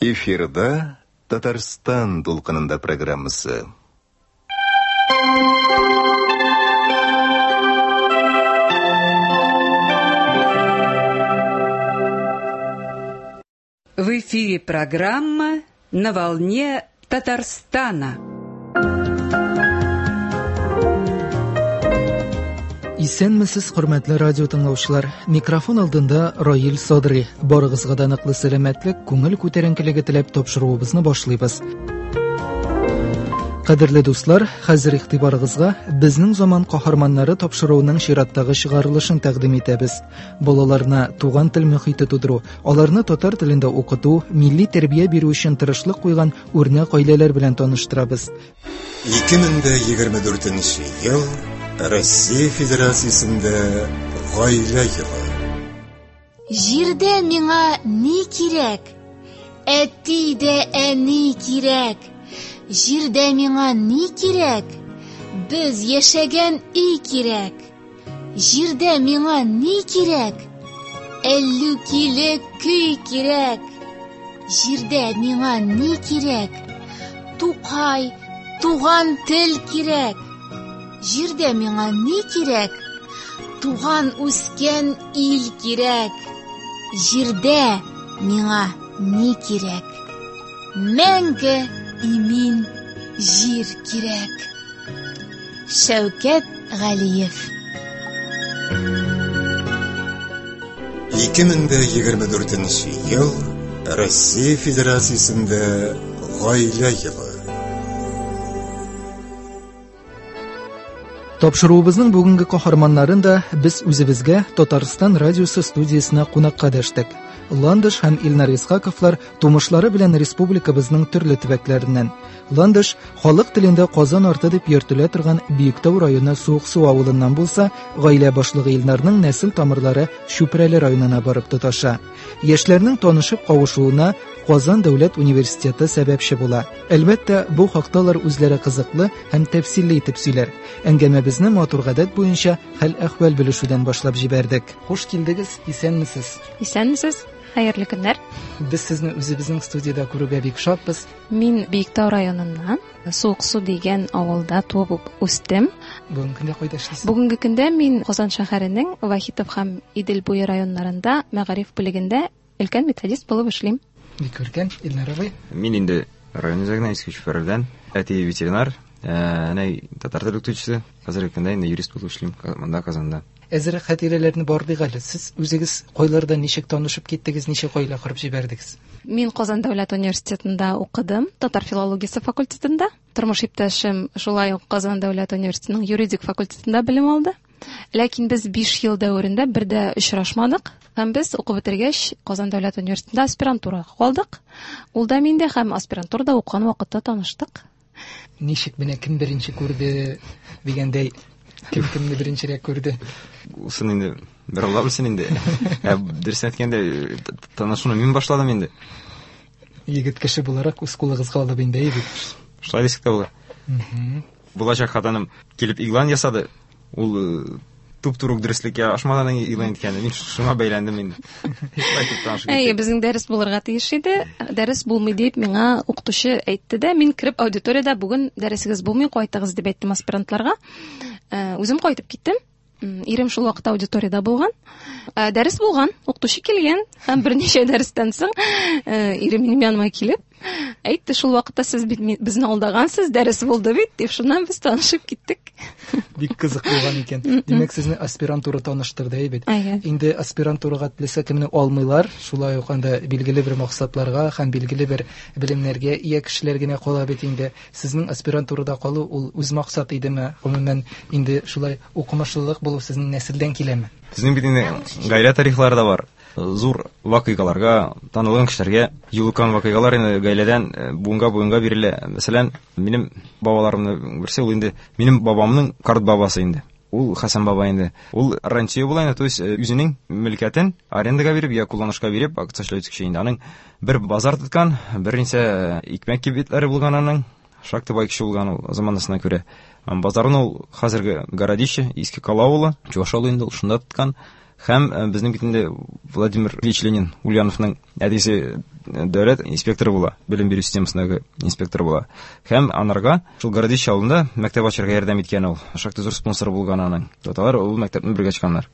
Эфирда Татарстан дулкынында программасы. В эфире программа «На волне Татарстана». Исәнмесез, хөрмәтле радио тыңлаучылар. Микрофон алдында Раил Садри. Барыгызга да ныклы сәламәтлек, күңел күтәренкелеге теләп тапшыруыбызны башлыйбыз. Кадерле дуслар, хәзер игътибарыгызга Безнең заман каһарманнары тапшыруының чираттагы чыгарылышын тәкъдим итәбез. Балаларына туган тел мөхите тудыру, аларны татар телендә укыту, милли тәрбия бирү өчен тырышлык куйган үрнәк гаиләләр белән таныштырабыз. 2024 ел Россия Федерациясендә гаилә елы. Җирдә миңа ни кирәк? Әти дә әни кирәк. Җирдә миңа ни кирәк? Без яшәгән өй кирәк. Җирдә миңа ни кирәк? Әллүкиле көй кирәк. Җирдә миңа ни кирәк? Тукай, туган тел кирәк. Җирдә миңа ни кирәк? Туган үскән ил кирәк. Җирдә миңа ни кирәк? Мәңге имин җир кирәк. Шәүкәт Галиев. 2024 ел Россия Федерациясендә гаилә елы. Тапшыруыбызның бүгенге каһарманнарын да без үзебезгә Татарстан радиосы студиясенә кунакка дәштек. Ландыш һәм Илнар Исхаковлар тумышлары белән республикабызның төрле төбәкләреннән. Ландыш халык телендә Казан арты дип йөртелә торган Биектау районы Суыксу авылыннан булса, гаилә башлыгы Илнарның нәсел тамырлары Чүпрәле районына барып тоташа. Яшьләрнең танышып кавышуына Казан дәүләт университеты сәбәпче була. Әлбәттә, бу хакта алар үзләре кызыклы һәм тәфсилле итеп сөйләр. Әңгәмәбезне матур гадәт буенча хәл-әхвәл белешүдән башлап җибәрдек. Хуш килдегез, исәнмесез. Исәнмесез, хәерле көннәр. Без сезне үзебезнең студиядә күрүгә бик шатбыз. Мин Биектау районыннан, Суыксу дигән авылда туып үстем. Бүгенге көндә кайда эшлисез? Бүгенге көндә мин Казан шәһәренең Вахитов һәм Идел буе районнарында мәгариф бүлегендә өлкән методист булып эшлим. Бик күркәм, Илнар абый. Мин инде район үзәгеннән, Иске Чүпрәледән. Әти ветеринар, әнәй татар теле укытучысы. Хәзерге көндә инде юрист булып эшлим монда Казанда. Әзерәк хатирәләрне барлыйк әле. Сез үзегез кайларда ничек танышып киттегез, ничек гаилә корып җибәрдегез? Мин Казан дәүләт университетында укыдым, татар филологиясе факультетында. Тормыш иптәшем шулай ук Казан дәүләт университетының юридик факультетында белем алды. Ләкин без 5 ел дәверендә бер дә очрашмадык. Һәм без укып бетергәч Казан дәүләт университетында аспирантурага калдык. Ул да мин дә һәм аспирантурада укыган вакытта таныштык. Ничек менә кем беренче күрде дигәндәй, кем кемне беренчерәк күрде? Усын инде бер Алла белсен инде. Ә дөресен әйткәндә, танышуны мин башладым инде. Егет кеше буларак үз кулыгызга алып инде, әйе бит? Шулай дисәк тә була. Булачак хатыным килеп игълан ясады. Ул туп-туры ук дөреслеккә ашмадан игълан иткән. Мин шуңа бәйләндем инде. Шулай итеп танышып Әйе, киттек. безнең дәрес булырга тиеш иде. Дәрес булмый дип миңа укытучы әйтте дә, мин кереп аудиториядә бүген дәресегез булмый, кайтыгыз дип әйттем аспирантларга. Үзем кайтып киттем. Ирем шул вакытта аудиториядә булган. Дәрес булган, укытучы килгән һәм берничә дәрестән соң, ирем минем яныма килеп әйтте, шул вакытта сез бит безне алдагансыз, дәрес булды бит, дип, шуннан без танышып киттек. Бик кызык булган икән. Димәк, сезне аспирантура таныштырды, әйе бит? Әйе. Инде аспирантурага теләсә кемне алмыйлар, шулай ук анда билгеле бер максатларга һәм билгеле бер белемнәргә ия кешеләр генә кала бит инде. Сезнең аспирантурада калу ул үз максат идеме? Гомумән, инде шулай укымышлылык булу сезнең нәселдән киләме? Безнең бит инде гаилә тарихлары да бар. Зур вакыйгаларга, танылган кешеләргә юлыккан вакыйгалар инде гаиләдән буынга буынга бирелә. Мәсәлән, минем бабаларымның берсе ул инде минем бабамның карт бабасы инде. Ул Хәсән баба инде. Ул рантье була инде, то есть үзенең мөлкәтен арендага биреп, я кулланышка биреп, акча эшләүче кеше инде. Аның бер базар тоткан, берничә икмәк кибетләре булган аның. Шактый бай кеше булган ул заманасына күрә. Базарын ул хәзерге Городище, Иске Кала авылы, Чуваш авылы инде ул шунда тоткан. Һәм безнең бит инде Владимир Ильич Ленин Ульяновның әтисе дәүләт инспекторы була, белем бирү системасындагы инспектор була. Һәм анарга шул Городище авылында мәктәп ачарга ярдәм иткән ул. Шактый зур спонсор булган аның. Алар ул мәктәпне бергә ачканнар.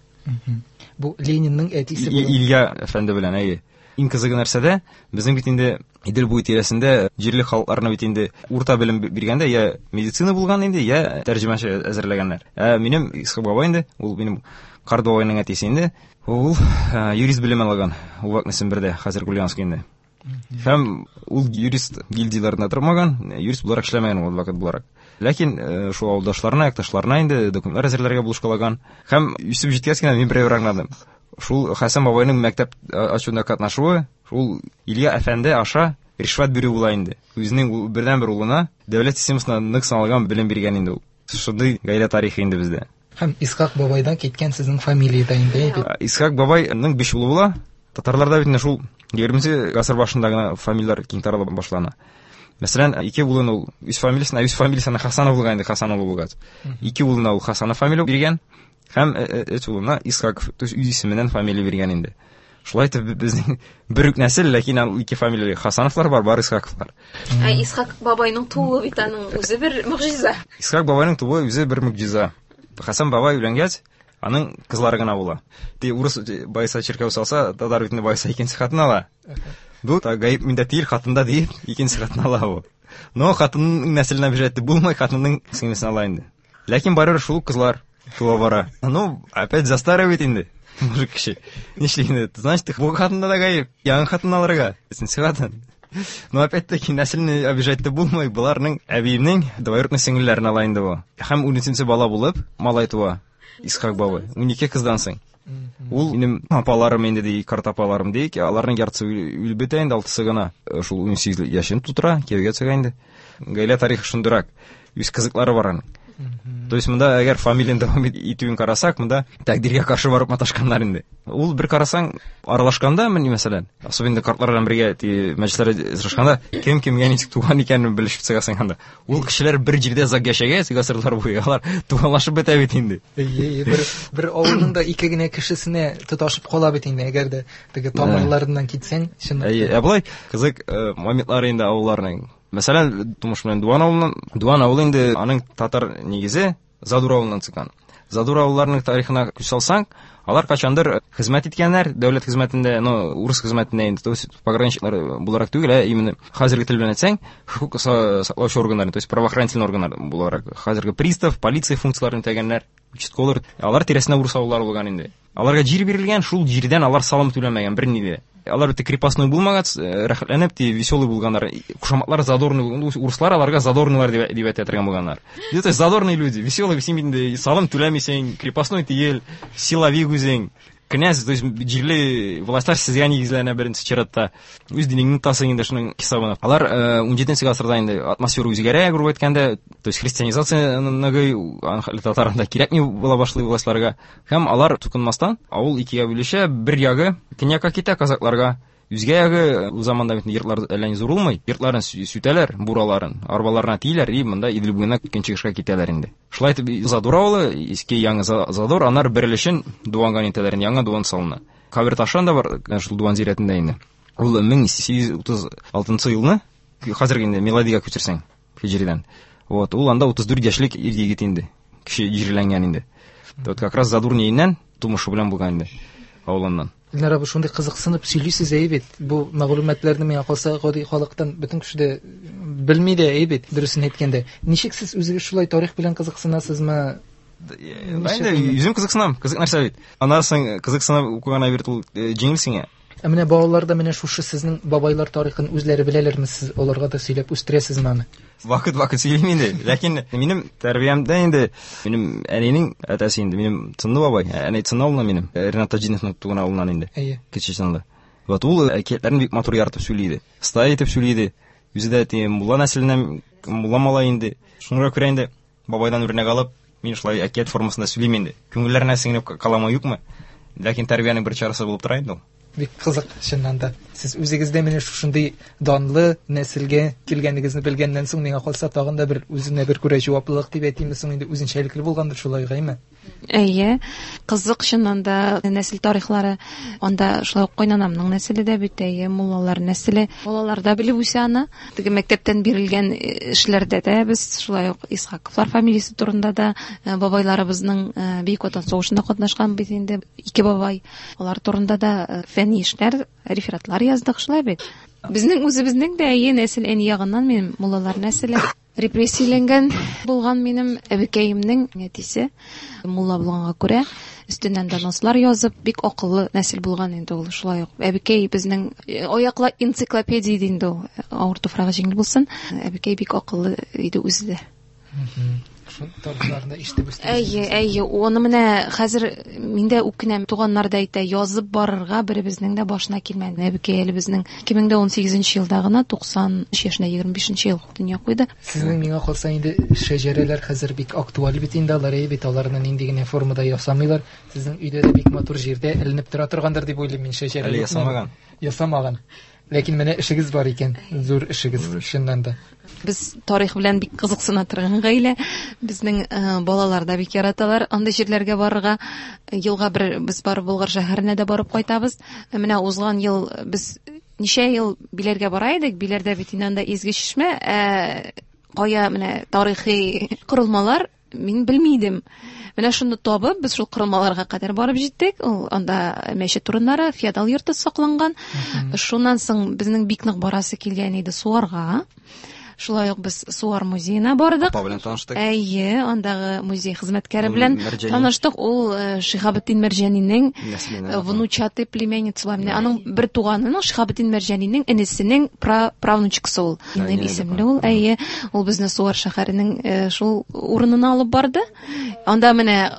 Бу Ленинның әтисе була. Илья әфәнде белән, әйе. Иң кызыгы нәрсәдә, безнең бит инде Идел буе тирәсендә җирле халыкларны бит инде урта белем биргәндә я медицина булган инде, я тәрҗемәче әзерләгәннәр. Ә минем Исхак бабай инде, ул минем карт бабайның әтисе инде, ул юрист белеме алган Увакны Сембердә, хәзер Ульяновск инде. Һәм ул юрист гильдияләрендә тормаган, юрист буларак эшләмәгән ул адвокат буларак. Ләкин шул авылдашларына, якташларына инде документлар әзерләргә булышкалаган. Һәм үсеп җиткәч кенә мин берәү аңладым. Шул Хәсән бабайның мәктәп ачуында катнашуы, шул Илья әфәнде аша ришвәт бирү була инде. Үзенең бердәнбер улына дәүләт системасында нык саналган белем биргән инде ул. Шундый гаилә тарихы инде бездә. Һәм Исхак бабайдан киткән сезнең фамилия дә инде, әйе бит? Исхак бабайның 5 улы була. Татарларда бит инде шул 20 гасыр башында гына фамилияләр киң тарала башлана. Мәсәлән, 2 улын ул үз фамилиясенә, үз фамилиясенә Хасанов булган инде, Хасанов булгач. 2 улына ул Хасанов фамилия биргән. Һәм өч улына Исхаков, то есть үз исеменнән фамилия биргән инде. Шулай итеп безнең бер үк нәсел, ләкин ул ике фамилияле Хасановлар бар, бар Исхаковлар. Ә Исхак бабайның тууы бит аның үзе бер могҗиза. Исхак бабайның тууы үзе бер могҗиза. Хасан бабай өйләнгәч, аның кызлары гына була. Ти урыс байса чиркәү салса, татар бит инде байса икенче хатын ала. Бу гаеп миндә түгел, хатында диеп, икенче хатын ала бу. Но хатынның нәселенә бирәтте булмай, хатынның сеңлесен ала инде. Ләкин барыбер шул кызлар туа бара. Ну, опять застаривает инде. Мужик кеше. Нишли инде? Значит, бу хатында да гаеп. Яңа хатын алырга. Өченче хатын. Но опять-таки нәселне обижать та булмый. Буларның әбиемнең двоюродный сеңелләрен ала инде бу. Һәм 13-нче бала булып малай туа. Исхак бабай. 12 кыздан соң. Ул минем апаларым инде ди, карт апаларым ди, аларның яртысы үлеп бетә инде, алтысы гына. Шул 18 яшен тутыра, кияүгә чыга инде. Гаилә тарихы шундыйрак. Үз кызыклары бар аның. То есть монда әгәр фамилияне дәвам итүен карасак, монда тәкъдиргә каршы барып маташканнар инде. Ул бер карасаң, аралашканда, менә мәсәлән, особенно картлар белән бергә мәҗлесләрдә очрашканда, кем кемгә ничек туган икәнен белешеп чыгасың анда. Ул кешеләр бер җирдә озак яшәгәч, гасырлар буе, алар туганлашып бетә бит инде. Әйе, бер авылның да ике генә кешесенә тоташып кала бит инде, әгәр дә теге тамырларыннан китсәң, чынлап. Әйе, ә болай кызык моментлары инде авылларның. Мәсәлән, тумыш белән Дуан авылыннан. Дуан авылы инде аның татар нигезе Задур авылыннан чыккан. Задур авылларының тарихына күз салсаң, алар качандыр хезмәт иткәннәр, дәүләт хезмәтендә, ну, урыс хезмәтендә инде, то есть пограничниклар буларак түгел, ә именно хәзерге тел белән әйтсәң, хокук саклаучы органнар, то есть правоохранительный органнар буларак, хәзерге пристав, полиция функцияләрен үтәгәннәр, участковыйлар, алар тирәсендә урыс авыллары булган инде. Аларга җир бирелгән, шул җирдән алар салым түләмәгән берни дә. Алар бит крепостной булмагач, рәхәтләнеп, ти веселый булганнар. Кушаматлар задорный булган. Урыслар аларга задорныйлар дип әйтә торган булганнар. Это задорные люди, веселый, син инде салым түләмисең, крепостной түгел, силовик үзең. Князь, то есть җирле властьлар сезгә нигезләнә беренче чиратта. Үз динеңне тотасың инде шуның хисабына. Алар 17 гасырда инде атмосфера үзгәрә, грубо әйткәндә, то есть христианизация ныгый, татарында кирәкми була башлый властьларга. Һәм алар тукынмастан авыл икегә бүлешә, бер ягы көньякка китә казакларга, үзгә ягы ул заманда бит йортлар әллә ни зур булмый, йортларын сүтәләр, бураларын, арбаларына тиеләр, и монда Идел буена көнчыгышка китәләр инде. Шулай итеп Задур авылы, иске яңа Задур, анар бер өлешен Дуанга нитәләр, яңа Дуан салына. Кабер ташы анда бар, шул Дуан зиратында инде. Ул 1836 елны, хәзерге инде миладига күчерсәң, һиҗридән. Вот, ул анда 34 яшьлек ир егет инде, кеше җирләнгән инде. Вот как раз Задур ниеннән тумышы белән булган инде авылыннан. Илнар абый, шундый кызыксынып сөйлисез әйе бит. Бу мәгълүматларны миңа калса гади халыктан бөтен кеше дә белми дә әйе бит, дөресен әйткәндә. Ничек сез үзегез шулай тарих белән кызыксынасызмы? Инде үзем кызыксынам, кызык нәрсә бит. Аннан соң кызыксынып укыган әйбер ул җиңел сиңа. Ә менә балалар да менә шушы сезнең бабайлар тарихын үзләре беләләрме, сез аларга да сөйләп үстерәсезме аны? Вакыт-вакыт сөйлим инде. Ләкин минем тәрбиямдә инде минем әнинең әтәсе инде, минем Цынлы бабай, әни Цынлы авылыннан минем, Ренат Таҗиновның туган авылыннан инде. Әйе. Кече Чынлы. Вот ул әкиятләрен бик матур яратып сөйли иде. Оста итеп сөйли иде. Үзе дә теге мулла нәселеннән, мулла малай инде. Шуңа күрә инде бабайдан үрнәк алып, мин шулай әкият формасында сөйлим инде. Күңелләренә сеңеп каламы, юкмы? Ләкин тәрбиянең бер чарасы булып тора инде ул. Бик кызык, чыннан да. Сез үзегез дә менә шушындый данлы нәселгә килгәнегезне белгәннән соң, миңа калса, тагын да бер үзенә бер күрә җаваплылык дип әйтимме соң инде, үзенчәлекле булгандыр шулай, әйме? Әйе, кызык чыннан да нәсел тарихлары. Анда шулай ук кайнанамның нәселе дә бит, әйе, муллалар нәселе. Балалар да белеп үсә аны. Теге мәктәптән бирелгән эшләрдә дә без шулай ук Исхаковлар фамилиясе турында да, бабайларыбызның Бөек Ватан сугышында катнашкан бит инде ике бабай. Алар турында да фәнни эшләр, рефератлар яздык, шулай бит. Безнең үзебезнең дә әйе нәсел, әни ягыннан минем муллалар нәселе. Репрессияләнгән булган минем әбекәемнең әтисе мулла булганга күрә, өстеннән донослар язып, бик акыллы нәсел булган инде ул шулай ук. Әбекәй безнең аяклы энциклопедия иде инде ул. Авыр туфрагы җиңел булсын. Әбекәй бик акыллы иде үзе дә. Шул тарихларны ишетеп үстегез. Әйе, әйе, оны менә хәзер мин дә үкенәм, туганнар да әйтә, язып барырга беребезнең дә башына килмәде. Әбекәй әле безнең 2018 елда гына 93 яшендә 25 ел дөнья куйды. Сезнең миңа калса инде шәҗәрәләр хәзер бик актуаль бит инде, алар әйе бит, аларны нинди генә формада ясамыйлар. Сезнең өйдә дә бик матур җирдә эленеп тора торгандыр дип уйлыйм мин шәҗәрә. Әле ясамаган. Ясамаган. Ләкин менә эшегез бар икән, зур эшегез, чыннан да. Без тарих белән бик кызыксына торган гаилә. Безнең балалар да бик яраталар андый җирләргә барырга. Елга бер без барып Болгар шәһәренә дә барып кайтабыз. Менә узган ел без ничә ел Биләргә бара идек. Биләрдә бит инде анда изге чишмә, кая менә тарихи корылмалар мин белми идем. Менә шуны табып, без шул корылмаларга кадәр барып җиттек. Ул анда мәчет урыннары, феодал йорты сакланган. Шуннан соң безнең бик нык барасы килгән иде Суарга. Шулай ук без Суар музеена бардык. Апа белән таныштык. Әйе, андагы музей хезмәткәре белән таныштык. Ул Шиһабетдин Мәрҗанинең внучатый племянница була. Менә аның бер туганының, Шиһабетдин Мәрҗанинең энесенең правнучкасы ул. Нил исемле ул. Әйе, ул безне Суар шәһәренең шул урынына алып барды. Анда менә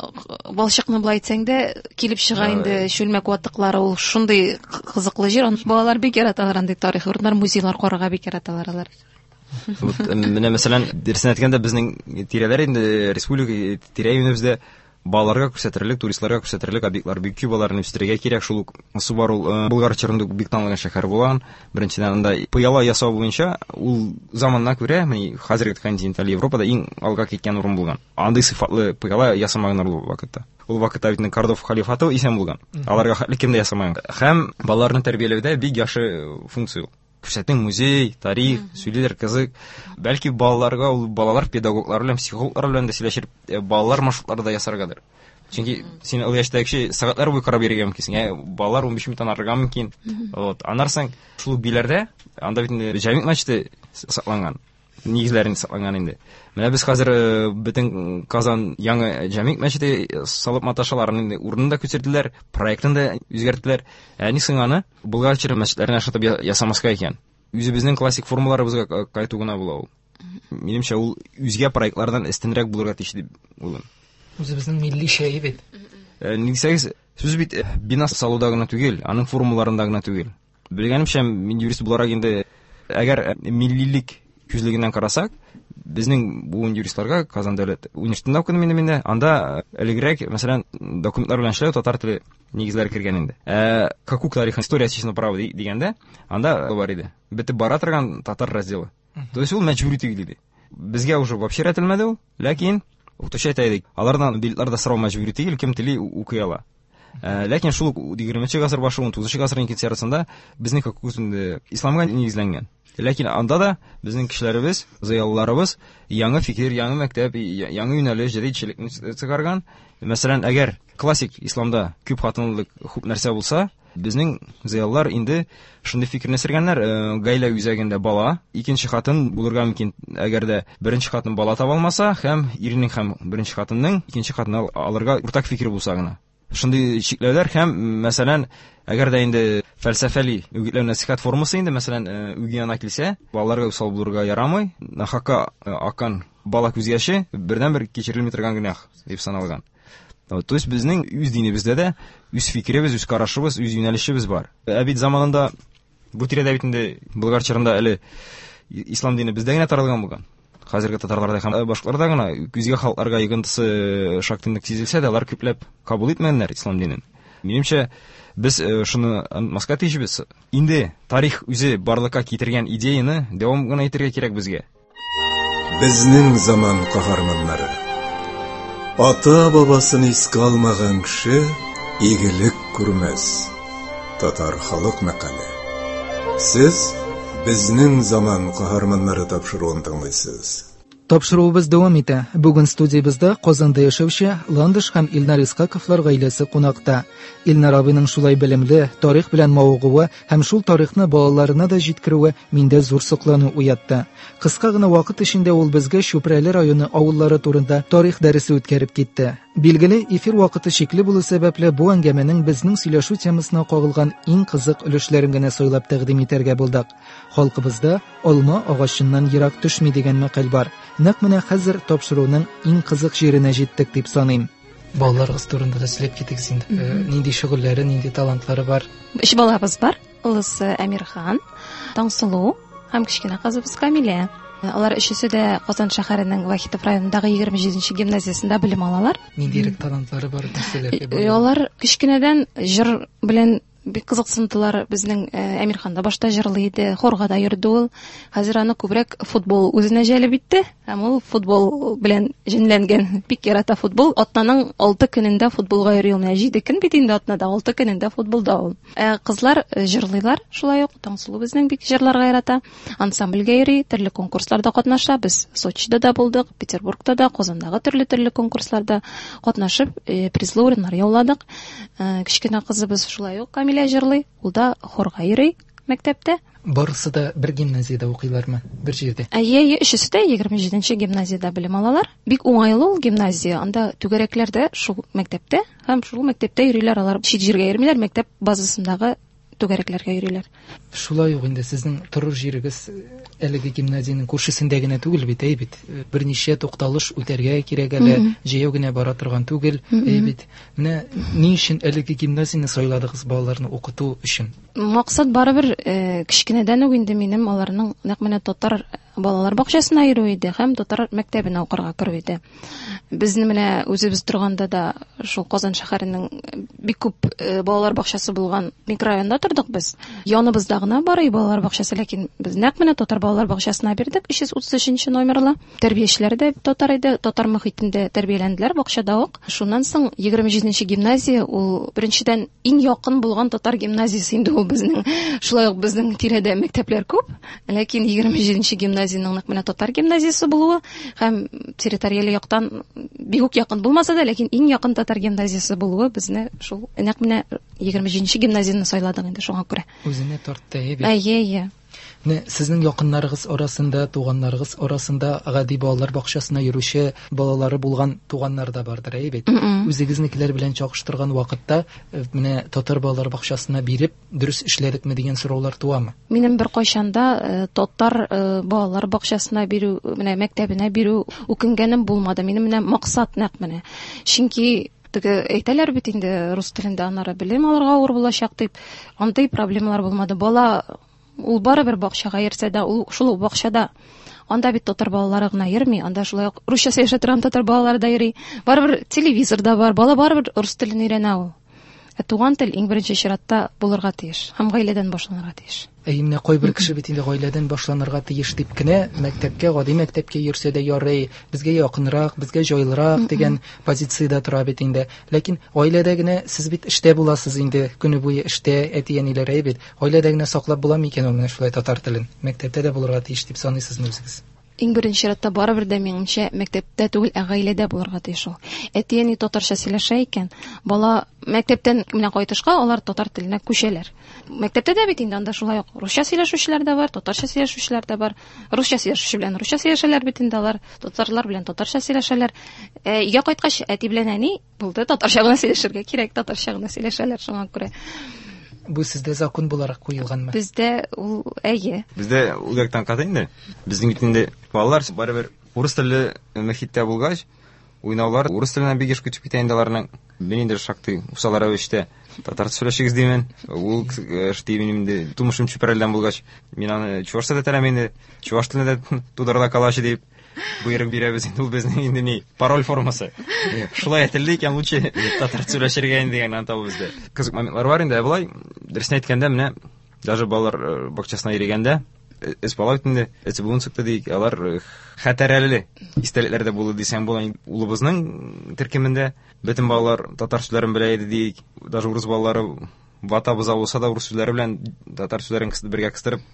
балчыкны былай әйтсәң дә килеп чыга инде чүлмәк ватыклары, ул шундый кызыклы җир. Балалар бик яраталар андый тарихи урыннар, музейлар карарга бик яраталар алар. Вот менә мәсәлән, дөресен әйткәндә, безнең тирәләр инде республика тирә-юнебездә балаларга күрсәтерлек, туристларга күрсәтерлек объектлар бик күп, аларны үстерергә кирәк. Шул ук Субар ул Болгар чорында бик танылган шәһәр булган. Беренчедән, анда пыяла ясау буенча ул заманына күрә, менә хәзерге континенталь Европада иң алга киткән урын булган. Андый сыйфатлы пыяла ясамаганнар ул вакытта. Ул вакытта бит Кордов халифаты исән булган. Аларга хәтле кем дә ясамаган. Һәм балаларны тәрбияләүдә бик яхшы функция ул. Күрсәтең музей, тарих, сөйлиләр, кызык. Бәлки балаларга ул балалар педагоглар белән, психологлар белән дә сөйләшеп, балалар маршрутлары да ясаргадыр. Чөнки син ул яшьтәге кеше сәгатьләр буе карап йөрергә мөмкинсең, балалар 15 минуттан арырга мөмкин. Вот, аннан соң шул Биләрдә, анда бит инде Җәмигъ мәчете сакланган, нигезләрен сакланган инде. Менә без хәзер бөтен Казан яңа Җәмигъ мәчете салып маташалар, аның инде урынын да күчерделәр, проектын да үзгәрттеләр. Ә ни соң аны Болгар чоры мәчетләренә ошатып ясамаска икән? Үзебезнең классик формаларыбызга кайту гына була ул. Минемчә, ул үзгә проектлардан өстенрәк булырга тиеш дип уйлыйм. Үзебезнең милли шәй бит. Ни дисәгез, сүз бит бина салуда гына түгел, аның формаларында гына түгел. Белгәнемчә, мин юрист буларак инде, әгәр миллилек күзлегеннән карасак, безнең буын юристларга Казан дәүләт университетында укыдым инде мин дә, анда элегрәк, мәсәлән, документлар белән эшләү татар теле нигезләре кергән инде. Хокук тарихы, история отечественного права дигәндә, анда бар иде. Бетеп бара торган татар разделы. То есть ул мәҗбүри түгел иде. Безгә уже вообще рәтелмәде ул, ләкин укытучы әйтә иде, алардан билетлар да сорау мәҗбүри түгел, кем тели укый ала. Ләкин шул ук егерменче гасыр башы, унтугызынчы гасырның икенче яртысында безнең хокук инде исламга нигезләнгән. Ләкин анда да безнең кешеләребез, зыялыларыбыз яңа фикер, яңа мәктәп, яңа юнәлеш, җәдидчелекне чыгарган. Мәсәлән, әгәр классик исламда күп хатынлылык күп нәрсә булса, безнең зыялылар инде шундый фикерне сергәннәр, гаилә үзәгендә бала, икенче хатын булырга мөмкин, әгәр дә беренче хатын бала таба алмаса, һәм иренең һәм беренче хатынның икенче хатын алырга уртак фикер булса гына. Шундый чикләүләр һәм, мәсәлән, әгәр дә инде фәлсәфәли үгетләү нәсихәт формасы инде, мәсәлән, үги ана килсә, балаларга усал булырга ярамый, нахакка аккан бала күз яше бердәнбер кичерелми торган гөнаһ дип саналган. То есть безнең үз динебездә дә үз фикеребез, үз карашыбыз, үз юнәлешебез бар. Ә бит заманында бу тирәдә бит инде Болгар чорында әле ислам дине бездә генә таралган булган. Хәзерге татарларда һәм башкаларда гына үзгә халыкларга йогынтысы шактый нык сизелсә дә, алар күпләп кабул итмәгәннәр ислам динен. Минемчә, без шуны онытмаска тиешбез. Инде тарих үзе барлыкка китергән идеяны дәвам гына итәргә кирәк безгә. Безнең заман каһарманнары. Ата-бабасын искә алмаган кеше игелек күрмәс. Татар халык мәкале. Сез Безнең заман каһарманнары тапшыруын тыңлыйсыз. Тапшыруыбыз дәвам итә. Бүген студиябездә Казанда яшәүче Ландыш һәм Илнар Исхаковлар гаиләсе кунакта. Илнар абыйның шулай белемле, тарих белән мавыгуы һәм шул тарихны балаларына да җиткерүе миндә зур соклану уятты. Кыска гына вакыт эчендә ул безгә Чүпрәле районы авыллары турында тарих дәресе үткәреп китте. Билгеле, эфир вакыты чикле булу сәбәпле, бу әңгәмәнең безнең сөйләшү темасына кагылган иң кызык өлешләрен генә сайлап тәкъдим итәргә булдык. Халкыбызда алма агачыннан ерак төшми дигән мәкаль бар. Нәкъ менә хәзер тапшыруның иң кызык җиренә җиттек дип саныйм. Балаларыгыз турында да сөйләп китегез инде. Нинди шөгыльләре, нинди талантлары бар? Өч балабыз бар. Олысы Әмирхан, Таңсылу һәм кечкенә кызыбыз Камилә. Алар өчесе дә Казан шәһәренең Вахитов районындагы 27 гимназиясендә белем алалар. Ниндирәк талантлары бар, нәрсәләргә бай? Алар кечкенәдән җыр белән бик кызыксындылар. Безнең Әмирхан да башта җырлый иде, хорга да йөрде ул. Хәзер аны күбрәк футбол үзенә җәлеп итте. Һәм ул футбол белән җенләнгән, бик ярата футбол. Атнаның 6 көнендә футболга йөри ул. Менә 7 көн бит инде атнада, 6 көнендә футболда ул. Ә кызлар җырлыйлар шулай ук. Таңсылу безнең бик җырларга ярата. Ансамбльгә йөри, төрле конкурсларда катнаша. Без Сочида да булдык, Петербургта да, Казандагы төрле-төрле конкурсларда катнашып, призлы урыннар яуладык. Кечкенә кызыбыз шулай ук Камилә җырлый, ул да хорга йөри мәктәптә. Барысы да бер гимназиядә укыйлармы? Бер җирдә? Әйе, әйе, өчесе дә 27 гимназиядә белем алалар. Бик уңайлы ул гимназия. Анда түгәрәкләр дә шул мәктәптә һәм шул мәктәптә йөриләр алар. Чит җиргә йөрмиләр, мәктәп базасындагы түгәрәкләргә йөриләр. Шулай ук инде сезнең торыр җирегез әлеге гимназиянең күршесендә генә түгел бит, әй бит. Берничә тукталыш үтәргә кирәк әле, җәяү генә бара торган түгел, әй бит. Менә ни өчен әлеге гимназияне сайладыгыз балаларны укыту өчен? Максат барыбер кечкенәдән үк инде минем аларның нәкъ менә татар балалар бакчасына йөрү иде һәм татар мәктәбенә укырга керү иде. Безне менә үзебез торганда да шул Казан шәһәренең бик күп балалар бакчасы булган микрорайонда тордык без. Яныбызда гына бар и балалар бакчасы, ләкин без нәкъ менә татар балалар бакчасына бирдек, 333 номерлы. Тәрбиячеләр дә татар иде, татар мохитендә тәрбияләнделәр бакчада ук. Шуннан соң 27 гимназия ул беренчедән иң якын булган татар гимназиясе инде ул безнең. Шулай ук безнең тирәдә мәктәпләр күп, ләкин 27 гимназиянең нәкъ менә татар гимназиясе булуы һәм территориаль яктан бик үк якын булмаса да, ләкин иң якын татар гимназиясе булуы безне шул нәкъ менә 27 гимназияне сайладык инде шуңа күрә. Үзенә тартты, әйе бит. Әйе, әйе. Менә сезнең якыннарыгыз арасында, туганнарыгыз арасында гади балалар бакчасына йөрүче балалары булган туганнар да бардыр, әйе бит? Үзегезнекеләр белән чагыштырган вакытта, менә татар балалар бакчасына биреп, дөрес эшләдекме дигән сораулар туамы? Минем беркайчан да татар балалар бакчасына бирү, менә мәктәбенә бирү үкенгәнем булмады. Минем менә максат нәкъ менә. Чөнки теге әйтәләр бит инде рус телендә аннары белем алырга авыр булачак дип, андый проблемалар булмады. Бала ул барыбер бакчага йөрсә дә, ул шул ук бакчада. Анда бит татар балалары гына йөрми, анда шулай ук русча сөйләшә торган татар балалары да йөри. Барыбер телевизор да бар, бала барыбер рус телен өйрәнә ул. Ә туган тел иң беренче чиратта булырга тиеш һәм гаиләдән башланырга тиеш. Әйе, менә кайбер кеше бит инде гаиләдән башланырга тиеш дип кенә мәктәпкә, гади мәктәпкә йөрсә дә ярый, безгә якынрак, безгә җайлырак дигән позициядә тора бит инде. Ләкин гаиләдә генә сез бит эштә буласыз инде, көне буе эштә, әти-әниләр әйе бит. Гаиләдә генә саклап була микән ул менә шулай татар телен? Мәктәптә дә булырга тиеш дип саныйсызмы үзегез? Иң беренче чиратта барыбер дә минемчә мәктәптә түгел, ә гаиләдә булырга тиеш ул. Әти-әни татарча сөйләшә икән, бала мәктәптән менә кайтышка алар татар теленә күчәләр. Мәктәптә дә бит инде анда шулай ук русча сөйләшүчеләр дә бар, татарча сөйләшүчеләр дә бар. Русча сөйләшүче белән русча сөйләшәләр бит инде алар, татарлар белән татарча сөйләшәләр. Өйгә кайткач әти белән әни булды, татарча гына сөйләшергә кирәк, татарча гына сөйләшәләр шуңа күрә. Бу сездә закон буларак куелганмы? Бездә ул әйе. Бездә ул яктан каты инде. Безнең бит инде балалар барыбер урыс телле мөхиттә булгач, уйнаулар урыс теленә бик еш күчеп китә инде аларның. Мин инде шактый усал рәвештә татарча сөйләшегез димен. Ул эш дим инде тумышым Чүпрәледән булгач, мин аны чувашча да теләм инде. Чуваш теленә дә тудырыла калачы дип. Боерык бирәбез инде, ул безнең инде ни, пароль формасы. Шулай әйтелде икән, лучше татарча сөйләшергә инде дигән аңлата ул бездә. Кызык моментлар бар инде, ә болай, дөресен әйткәндә, менә даже балалар бакчасына йөрегәндә, өч бала бит инде, өч буын чыкты диик, алар хәтәрәле истәлекләр дә булды дисәң була. Улыбызның төркемендә бөтен балалар татар сүзләрен белә иде диик, даже урыс балалары вата боза булса да урыс сүзләре белән татар сүзләрен бергә кыстырып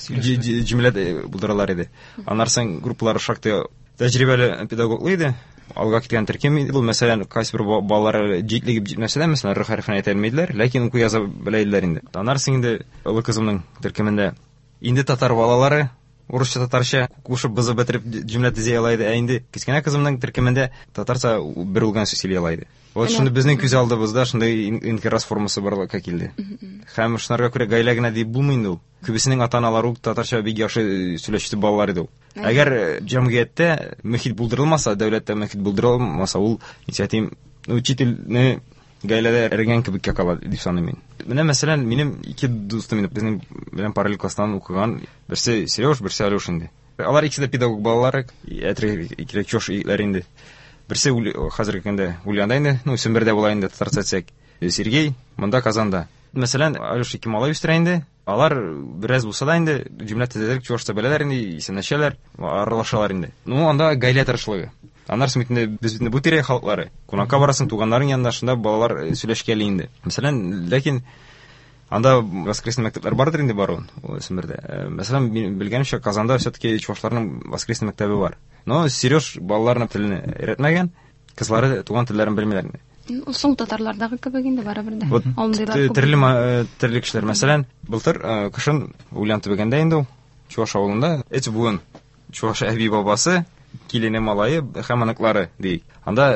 җөмлә булдыралар иде. Аннан соң группалар шактый тәҗрибәле педагоглы иде. Алга киткән төркем иде бу. Мәсәлән, кайсы бер балалар җитлегеп җитмәсә дә, мәсәлән, р хәрефен әйтә алмыйдылар, ләкин уку яза белә иделәр инде. Аннан соң инде олы кызымның төркемендә инде татар балалары урысча татарча кушып бызып бетереп җөмлә төзи ала иде. Ә инде кечкенә кызымның төркемендә татарча бер үлгән сүз сөйли ала иде. Вот шундый безнең күз алдыбызда шундый инкирас формасы барлыкка килде. Һәм шунарга күрә гаилә генә дип булмый инде ул. Күбесенең ата-аналары ук татарча бик яхшы сөйләшүче балалар иде ул. Әгәр җәмгыятьтә мөхит булдырылмаса, дәүләттә мөхит булдырылмаса, ул, ничек әйтим, учительне гаиләдә эрегән кебеккә кала дип саныйм мин. Менә мәсәлән, минем ике дустым инде безнең белән параллель класстан укыган, берсе Сереж, берсе Алёш инде. Алар икесе дә педагог балалары, әтрәк чош егетләр инде. Берсе хәзерге көндә Ульянда инде, ну, Сембердә була инде, татарча әйтсәк. Сергей монда Казанда. Мәсәлән, Алёш ике малай үстерә инде. Алар бераз булса да инде җөмлә төзәтеп чуашча беләләр инде, исәнләшәләр, аралашалар инде. Ну, анда гаилә тырышлыгы. Аннан соң бит инде без бит инде бу тирә халыклары. Кунакка барасың, туганнарың янында, шунда балалар сөйләшкәли инде. Мәсәлән, ләкин анда воскресный мәктәпләр бардыр инде баруын, ул Сембердә. Мәсәлән, мин белгәнемчә, Казанда все-таки чуашларның воскресный мәктәбе бар. Но Сереж балаларына телне өйрәтмәгән, кызлары туган телләрен белмиләр инде. Соң татарлардагы кебек инде барыбер дә. Вот Андыйлар күп. Төрле кешеләр. Мәсәлән, былтыр кышын Ульян төбәгендә инде ул, Чуаш авылында өч буын чуаш әби бабасы, килене, малае һәм оныклары диик. Анда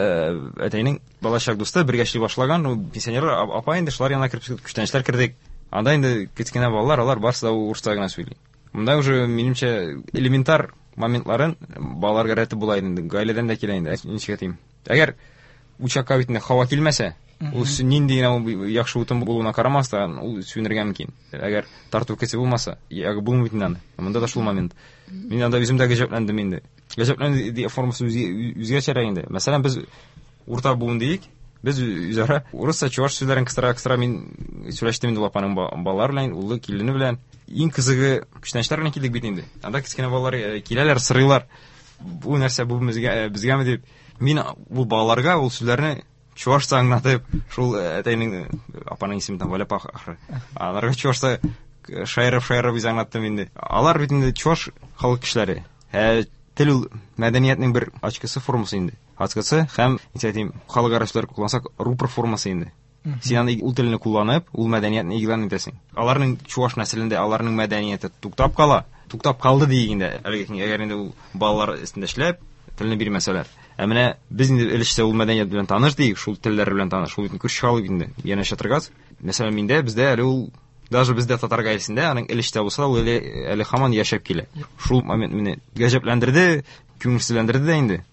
әтәйнең балачак дусты бергә эшли башлаган, ул пенсионер апа инде, шулар янына кереп күчтәнәчләр кердек. Анда инде кечкенә балалар, алар барысы да урысча гына сөйли. Монда уже, минемчә, элементар моментларын балаларга рәтеп була инде, гаиләдән дә килә инде. Ничек әйтим? Әгәр учакка бит инде һава килмәсә, ул нинди генә ул яхшы утын булуына карамастан, ул сүнергә мөмкин. Әгәр тарту кесе булмаса, ягы булмый бит инде аны. Монда да шул момент. Мин анда үзем дә гаҗәпләндем инде. Гаҗәпләнү формасы үзгәчәрәк инде. Мәсәлән, без урта буын диик, без үзара урысча, чуваш сүзләрен кыстыра-кыстыра мин сөйләштем инде ул апаның балалары белән, улы, килене белән. Иң кызыгы күчтәнәчләр белән килдек бит инде. Анда кечкенә балалар киләләр, сорыйлар. Бу нәрсә, бу безгәме дип. Мин бу балаларга ул сүзләрне чувашча аңлатып, шул әтәйнең, апаның исеме там Валя апа ахры. Аларга чувашча шаярып-шаярып үзе аңлаттым инде. Алар бит инде чуваш халык кешеләре. Тел ул мәдәниятнең бер ачкысы формасы инде. Ачкысы һәм, ничек әйтим, халык ара сүзләр куллансак, рупор формасы инде. Син аны ул телне кулланып, ул мәдәниятне игълан итәсең. Аларның чуваш нәселендә аларның мәдәнияте туктап кала, туктап калды диек инде. Әлеге көнгә, әгәр инде ул балалар өстендә эшләп, телне бирмәсәләр. Ә менә без инде өлешчә ул мәдәният белән таныш диек, шул телләр белән таныш, шул бит күрше халык инде. Янәшә торгач, мәсәлән, миндә, бездә әле ул, даже бездә татар гаиләсендә аның өлештә булса да, ул әле һаман яшәп килә. Шул момент мине гаҗәпләндерде, күңелсезләндерде дә инде.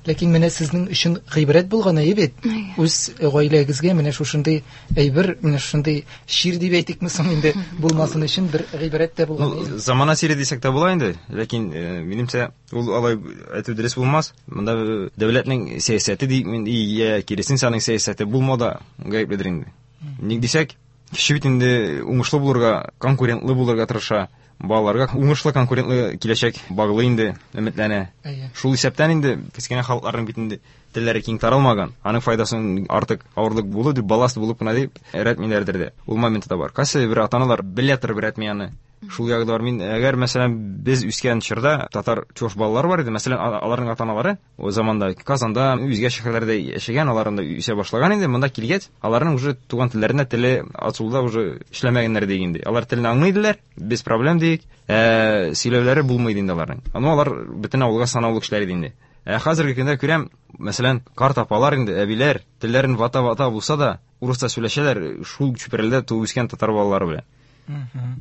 Ләкин менә сезнең өчен гыйбрәт булган әйе бит. Үз гаиләгезгә менә шушындый әйбер, менә шушындый чир дип әйтикме соң инде, булмасын өчен бер гыйбрәт тә булган. Ну, замана чире дисәк тә була инде, ләкин минемчә ул алай әйтү дөрес булмас. Монда дәүләтнең сәясәте ди, мин, и, я, киресенчә, аның сәясәте булмау да гаепледер инде. Ник дисәк, кеше бит инде уңышлы булырга, конкурентлы булырга тырыша. Балаларга уңышлы конкурентлы киләчәк баглы инде, өметләнә. Шул исәптән инде кечкенә халыкларның бит инде телләре киң таралмаган. Аның файдасын артык авырлык булу дип, балласт булып кына дип рәтмиләрдер дә. Ул моменты да бар. Кайсы бер ата-аналар белә торып рәтми аны. Шул ягы да бар. Мин, әгәр, мәсәлән, без үскән чорда татар чуваш балалары бар иде, мәсәлән, аларның ата-аналары о заманда Казанда, үзгә шәһәрләрдә яшәгән, алар анда үсә башлаган инде. Монда килгәч, аларның уже туган телләренә теле ачылуда уже эшләмәгәннәр диек инде. Алар телне аңлый иделәр, без проблем диек, сөйләүләре булмый иде инде аларның. Аны алар бөтен авылга санаулы кешеләр иде инде. Хәзерге көндә күрәм, мәсәлән, карт апалар инде, әбиләр, телләрен вата-вата булса да, урысча сөйләшәләр, шул чүпрәлдә туып үскән татар балалары белән.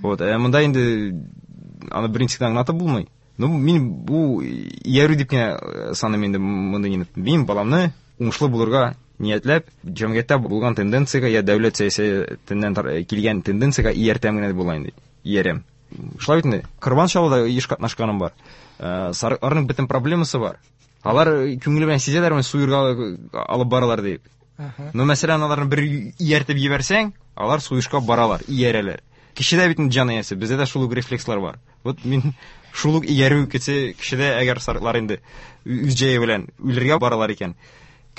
Вот, монда инде аны берничек тә аңлатып булмый. Ну, мин бу иярү дип кенә саныйм инде мондый инде. Мин баламны уңышлы булырга ниятләп, җәмгыятьтә булган тенденциягә я дәүләт сәясәтеннән килгән тенденциягә ияртәм генә дип була инде. Иярәм. Шулай бит инде. Корбан чалуда еш катнашканым бар. Сарыкларның бөтен проблемасы бар. Алар күңеле белән сизәләр, менә суерга алып баралар дип. Но, мәсәлән, аларны бер ияртеп җибәрсәң, алар суешка баралар, иярәләр. Кешедә бит инде җан иясе, бездә дә шул ук рефлекслар бар. Вот мин шул ук иярү кеше, кешедә әгәр сарыклар инде үз җәе белән үлергә баралар икән,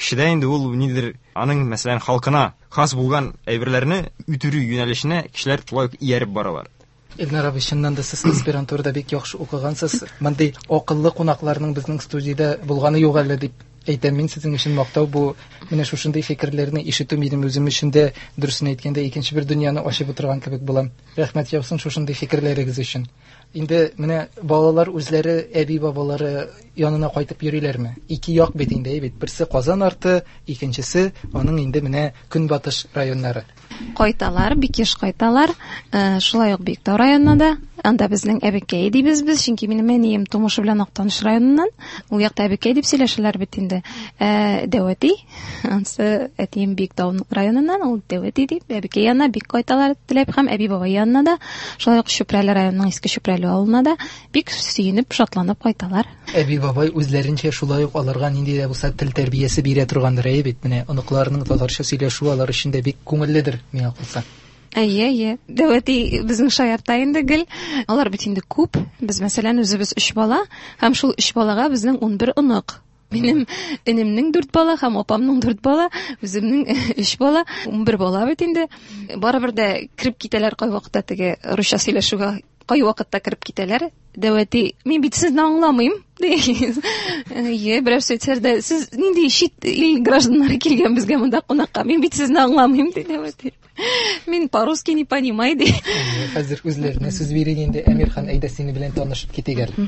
кешедә инде ул ниндидер аның, мәсәлән, халкына хас булган әйберләрне үтерү юнәлешенә кешеләр шулай ук ияреп баралар. Илнар абый, чыннан да сез аспирантурада бик яхшы укыгансыз. Мондый акыллы кунакларның безнең студиядә булганы юк әле дип әйтәм мин сезнең өчен мактау бу. Менә шушындый фикерләрне ишетү минем үзем өчен дә, дөресен әйткәндә, икенче бер дөньяны ачып утырган кебек булам. Рәхмәт яусын шушындый фикерләрегез өчен. Инде менә балалар үзләре әби-бабалары янына кайтып йөриләрме? Ике як бит инде, әй бит. Берсе Казан арты, икенчесе аның инде менә көнбатыш районнары. Кайталар, бик еш кайталар. Шулай ук Биектау районына да. Анда безнең әбекәй дибез без, чөнки минем әнием тумышы белән Актаныш районыннан. Ул якта әбекәй дип сөйләшәләр бит инде. Дәүәти, ансы әтием Биектау районыннан, ул Дәүәти дип, әбекәй янына бик кайталар теләп һәм әби-бабай янына да, шулай ук Чүпрәле районының Иске Чүпрәле авылына да бик сөенеп, шатланып кайталар. Әби-бабай үзләренчә шулай ук аларга нинди дә булса тел тәрбиясе бирә торгандыр, әйе бит? Менә оныкларының татарча сөйләшүе алар өчен дә бик күңелледер, миңа калса. Әйе, әйе. Дәүәти безнең шаярта инде гел. Алар бит инде күп. Без, мәсәлән, үзебез 3 бала, һәм шул 3 балага безнең 11 онык. Минем энемнең 4 бала һәм апамның 4 бала, үземнең 3 бала, 11 бала бит инде. Барыбер дә кереп китәләр кайвакытта теге русча сөйләшүгә, кайвакытта кереп китәләр. Дәүәти, мин бит сезне аңламыйм, ди. Әйе, берәр сөйтсәр дә, сез нинди чит ил гражданнары килгән безгә монда кунакка, мин бит сезне аңламыйм, ди Дәүәти. Мин по-русски не понимаю, ди. Әйе, хәзер үзләренә сүз бирик инде. Әмирхан, әйдә сине белән танышып китик әле.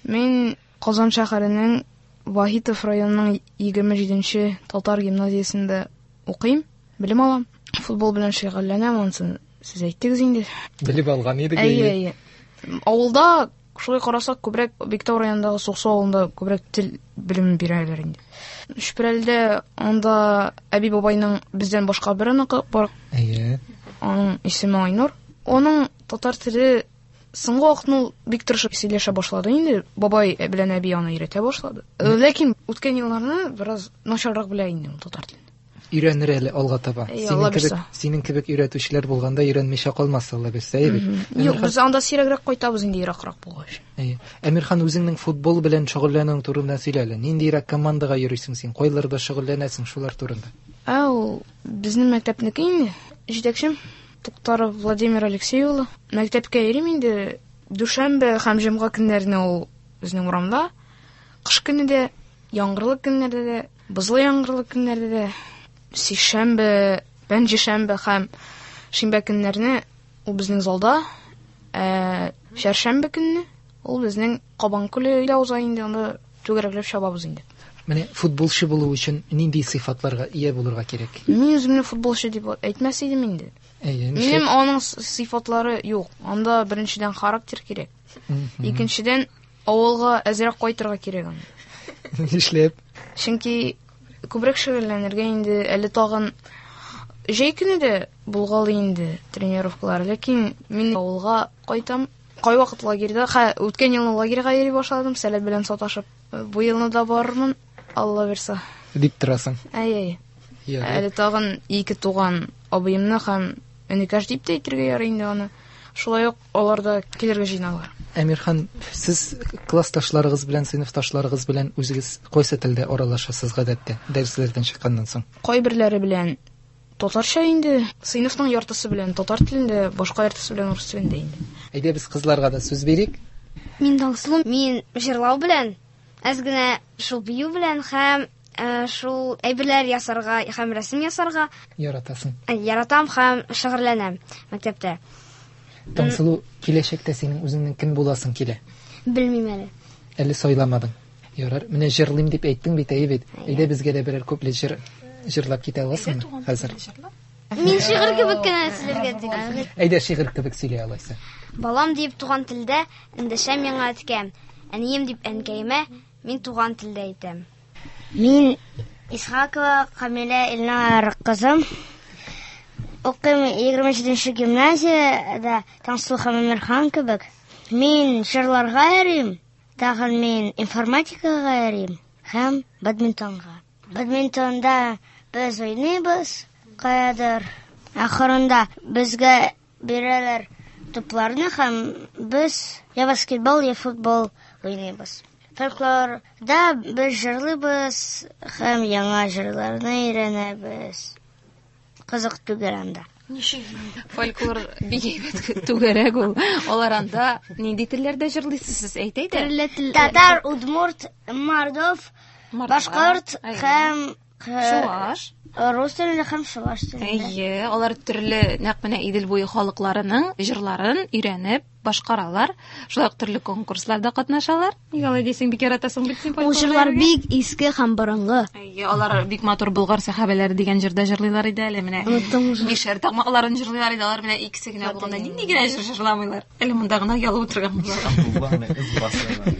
Мин Казан шәһәренең Вахитов районының 27-нче татар гимназиясендә укыйм, белем алам. Футбол белән шөгыльләнәм, анысын сез әйттегез инде. Белеп алган идек, Әйе, әйе. Авылда, шулай карасак, күбрәк Биктау районындагы Суксу авылында күбрәк тел белемен бирәләр инде. Чүпрәледә анда әби-бабайның бездән башка бер оныгы бар. Әйе. Аның исеме Айнур. Аның татар теле соңгы вакытны ул бик тырышып сөйләшә башлады инде. Бабай белән әби аны өйрәтә башлады. Ләкин үткән елларны бераз начаррак белә инде ул татар телен. Өйрәнер әле алга таба. Әйе, Синең Алла кебек, бирсә. синең кебек өйрәтүчеләр булганда өйрәнмичә калмас, Алла бирсә, әйе бит? Юк, без анда сирәгрәк кайтабыз инде, еракрак булгач. Әйе. Әмирхан, үзеңнең футбол белән шөгыльләнүең турында сөйлә әле. Ниндирәк командага йөрисең син? Кайларда шөгыльләнәсең, шулар турында? Ә ул безнең мәктәпнеке инде. Җитәкчем Туктаров Владимир Алексей улы. Мәктәпкә йөрим инде. Дүшәмбе һәм җомга көннәренә ул безнең урамда. Кыш көне дә, яңгырлы көннәрдә дә, бозлы яңгырлы көннәрдә дә, сишәмбе, пәнҗешәмбе һәм шимбә көннәрне ул безнең залда, ә чәршәмбе көнне ул безнең Кабан күле илә уза инде, анда түгәрәкләп чабабыз инде. Менә футболчы булу өчен нинди сыйфатларга ия булырга кирәк? Мин үземне футболчы дип әйтмәс идем инде. Әйе, Минем нишләп? аның сыйфатлары юк. Анда беренчедән характер кирәк. Икенчедән авылга әзрәк кайтырга кирәк анда. Нишләп? Чөнки күбрәк шөгыльләнергә инде, әле тагын җәй көне дә булгалый инде тренировкалар, ләкин мин авылга кайтам. Кайвакыт лагерьда, ха, үткән елны лагерьга йөри башладым, сәләт белән саташып. Бу елны да барырмын, Алла бирсә. Дип торасың. Әй, әй. Ярый. Әле тагын ике туган абыемны һәм энекәш дип тә әйтергә ярый инде аны. Шулай ук алар да килергә җыеналар. Әмирхан, сез классташларыгыз белән, сыйныфташларыгыз белән үзегез кайсы телдә аралашасыз гадәттә, дәресләрдән чыкканнан соң? Кайберләре белән татарча инде, сыйныфның яртысы белән татар телендә, башка яртысы белән урыс телендә инде. Әйдә без кызларга да сүз бирик. Мин Таңсылу, мин җырлау белән, әз генә шул бию белән һәм шул әйберләр ясарга һәм рәсем ясарга яратасың. Яратам һәм шөгыльләнәм мәктәптә. Таңсылу, киләчәктә синең үзеңнең кем буласың килә? Белмим әле. Әле сайламадың. Ярар, менә җырлыйм дип әйттең бит, әйе бит. Әйдә безгә дә берәр күпле җыр җырлап китә аласыңмы хәзер? Мин шигырь кебек кенә сөйләргә телим. Әйдә шигырь кебек сөйлә алайса. Балам дип туган телдә эндәшә миңа әткәм. Әнием дип әнкәемә мин туган телдә әйтәм. Мин Исхакова Камилә Илнар кызым. Укыйм 27 гимназиядә, Таңсылу һәм Әмирхан кебек. Мин җырларга йөрим, тагын мин информатикага йөрим һәм бадминтонга. Бадминтонда без уйныйбыз, каядыр. Ахырында безгә бирәләр тупларны һәм без я баскетбол, я футбол уйныйбыз. Фольклорда без җырлыйбыз һәм яңа җырларны өйрәнәбез. Кызык түгел анда. Ничек? Фольклор бик әйбәт түгәрәк ул. Алар анда нинди телләрдә җырлыйсыз сез? Әйт әйдә. Төрле тел. Татар, удмурт, мордов, башкорт һәм чуаш. Рус телендә һәм чуаш телендә. Әйе, алар төрле нәкъ менә Идел буе халыкларының җырларын өйрәнеп башкаралар. Шулай ук төрле конкурсларда катнашалар. Нигә алай дисең, бик яратасың бит син Ул җырлар бик иске һәм борынгы. Әйе, алар бик матур Болгар сәхабәләре дигән җырда җырлыйлар иде әле менә. Оныттым уже. Мишәр такмакларын җырлыйлар иде, алар менә икесе генә булганда нинди генә җыр җырламыйлар. Әле монда гына оялып утырган булалар.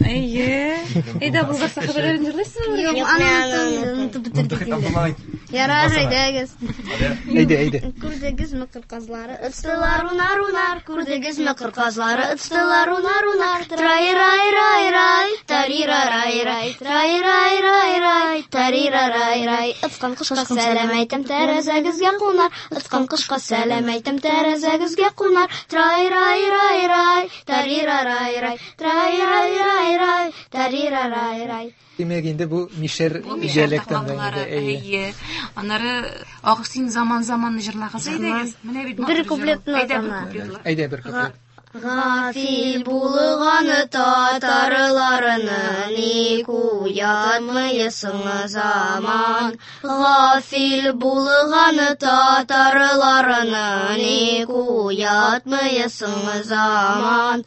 Әйе. Әйдә, Болгар сәхабәләрен җырлыйсызмы? Юк, аны онытып бетердек инде. Ярар, әйдәгез. Әйдә, әйдә. Күрдегезме кыр казлары? Ыцтылар унар унар, күрдегезме кыр казлары? Ыцтылар унар унар, трай рай рай рай, тарира рай рай, трай рай рай рай, тарира рай рай. Ыцкан кошка сәлам әйтәм, тәрәзәгезгә кунар. Ыцкан кошка сәлам әйтәм, тәрәзәгезгә кунар. Трай рай рай рай, тарира рай рай, трай рай рай рай, тарира рай рай. Димәк, инде бу мишәр Бу мишәр диалектында инде. такмаклары, Әйе. әйе. Аннары Ах син заман заманны җырлагыз әйдәгез. Менә бит Бер матур җыр ул. куплетны Әйдә бер атама. куплетлы. Әйдә бер куплет. Гафил булган татарларны ник уятмыйсың заман? Гафил булган татарларны ник уятмыйсың заман?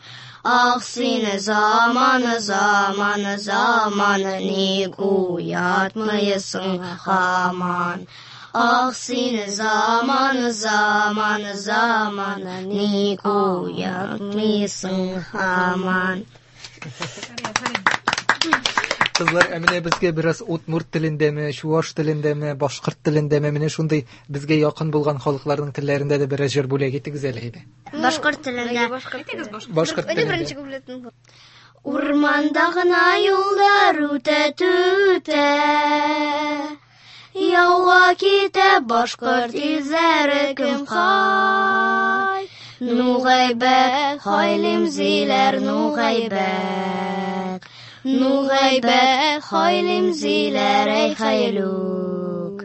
Ах син заман, заман, заман, ник уятмыйсың һаман? Ах син заман, заман, заман, ник уятмыйсың һаман? Кызлар, ә менә безгә бераз удмурт телендәме, чуаш телендәме, башкорт телендәме, менә шундый безгә якын булган халыкларның телләрендә дә бераз җыр бүләк итегез әле әйдә. Башкорт телендә. Башкорт Әйдә телендә. беренче куплетны. Урманда гына юлдар үтә түтә. Яуга китә башкорт илзәре кем хай. Ну гайбәт, хайлим зиләр, ну гайбәт. Ну гайбәт, хайлим зиләр, әй хайлүк.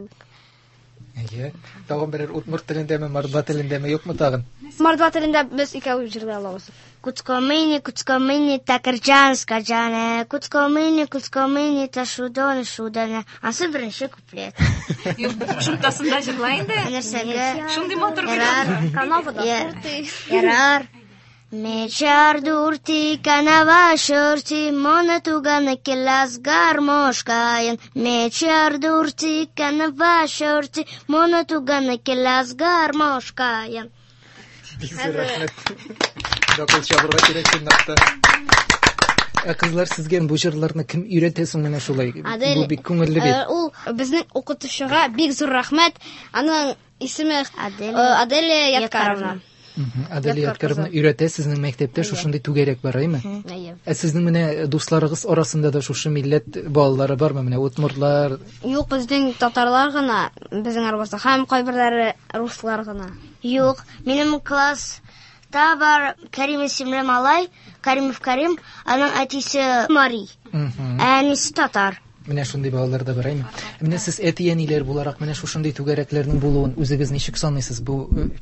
Әйе. Тагын берәр удмурт телендәме, мордва телендәме, юкмы тагын? Мордва телендә без икәү җырлый алабыз. Куцкомыни, куцкомыни, такырҗан скаҗаны. Куцкомыни, куцкомыни, ташудон шуданы. Ансы беренче куплет. Юк, кушымтасында җырла инде. Нәрсәгә? Шундый матур бит. Ярар. Канавада Я- Ярар. Мечар дурти, канава шорти, мона туганы келас гармошкайын. Мечар дурти, канава шорти, мона туганы келас гармошкайын. Бик зур рәхмәт. Дакыл чабырга кирәк чынлап та. Ә кызлар, сезгә бу җырларны кем өйрәтә соң менә шулай? Адель, Бу бик күңелле бит. Ул безнең укытучыга бик зур рәхмәт. Аның исеме Аделя Аделя Ядкаровна. Аделя Ядкар Ядкаровна өйрәтә, сезнең мәктәптә шушындый түгәрәк бар, әйме? Әйе. Ә сезнең менә дусларыгыз арасында да шушы милләт балалары бармы? Менә удмуртлар, Юк, безнең татарлар гына безнең арабызда һәм кайберләре руслар гына. Юк, минем класста бар Карим исемле малай, Каримов Карим, аның әтисе Мари, ә әнисе татар. Менә шундый балалар да бар, әйме? Менә сез әти-әниләр буларак менә шушындый түгәрәкләрнең булуын үзегез ничек саныйсыз? Бу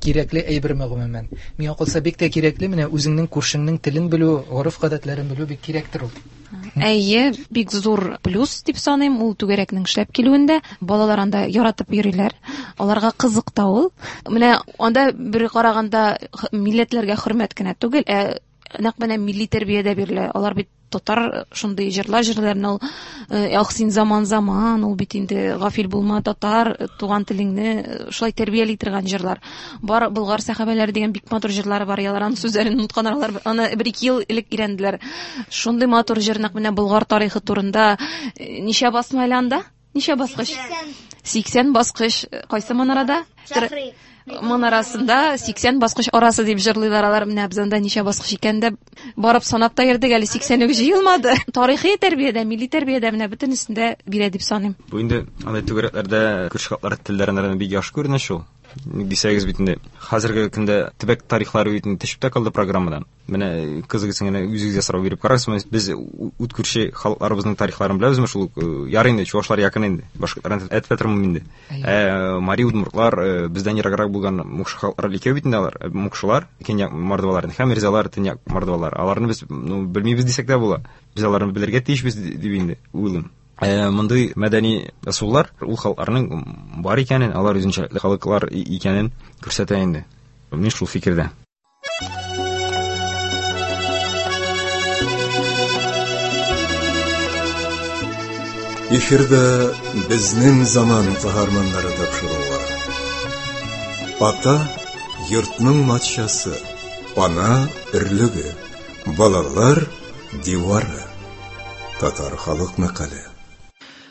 кирәкле әйберме гомумән? Миңа калса бик тә кирәкле, менә үзеңнең күршеңнең телен белү, гореф-гадәтләрен белү бик кирәктер ул. Әйе, бик зур плюс дип саныйм ул түгәрәкнең эшләп килүендә. Балалар анда яратып йөриләр. Аларга кызык та ул. Менә анда бер караганда милләтләргә хөрмәт кенә түгел, ә нәкъ менә милли тәрбия дә бирелә. Алар бит татар шундый җырлар җырларны ул ах син заман заман, ул бит инде гафил булма татар, туган телеңне шулай тәрбияли торган җырлар. Бар Болгар сәхабәләре дигән бик матур җырлары бар. Алар аның сүзләрен онытканнар, алар аны бер-ике ел элек өйрәнделәр. Шундый матур җыр нәкъ менә Болгар тарихы турында. Ничә басма әле анда? Ничә баскыч? 80 баскыч. Кайсы манарада? Манарасында 80 баскыч арасы дип җырлыйлар алар. Менә без анда ничә баскыч икән дә барып санап та йөрдек, әле 80 үк җыелмады. Тарихи тәрбиядә, милли тәрбиядә менә бөтенесендә бирә дип саныйм. Бу инде андый түгәрәкләрдә күрше халыклар телләрен бик яхшы күренә шул. Ник дисәгез бит инде хәзерге көндә төбәк тарихлары бит инде төшеп тә калды программадан. Менә кызыгыз генә үзегезгә сорау биреп карарсыз, без ут күрше халыкларыбызның тарихларын беләбезме шул ук, ярый инде чувашлар якын инде, башкортларны әйтеп тә тормыйм инде. Ә мари, удмуртлар бездән ераграк булган мукшы халыклар икәү бит инде алар. Мукшылар, көньяк мордвалар һәм эрзялар, төньяк мордвалар. Аларны без, ну, белмибез дисәк тә була. Без аларны белергә тиешбез дип инде уйлыйм. Мондый мәдәни ысуллар ул халыкларның бар икәнен, алар үзенчәлекле халыклар икәнен күрсәтә инде. Мин шул фикердә. Эфирда безнең заман каһарманнары тапшыруы. Ата йортның матшасы, ана өрлеге, балалар дивары. Татар халык мәкале.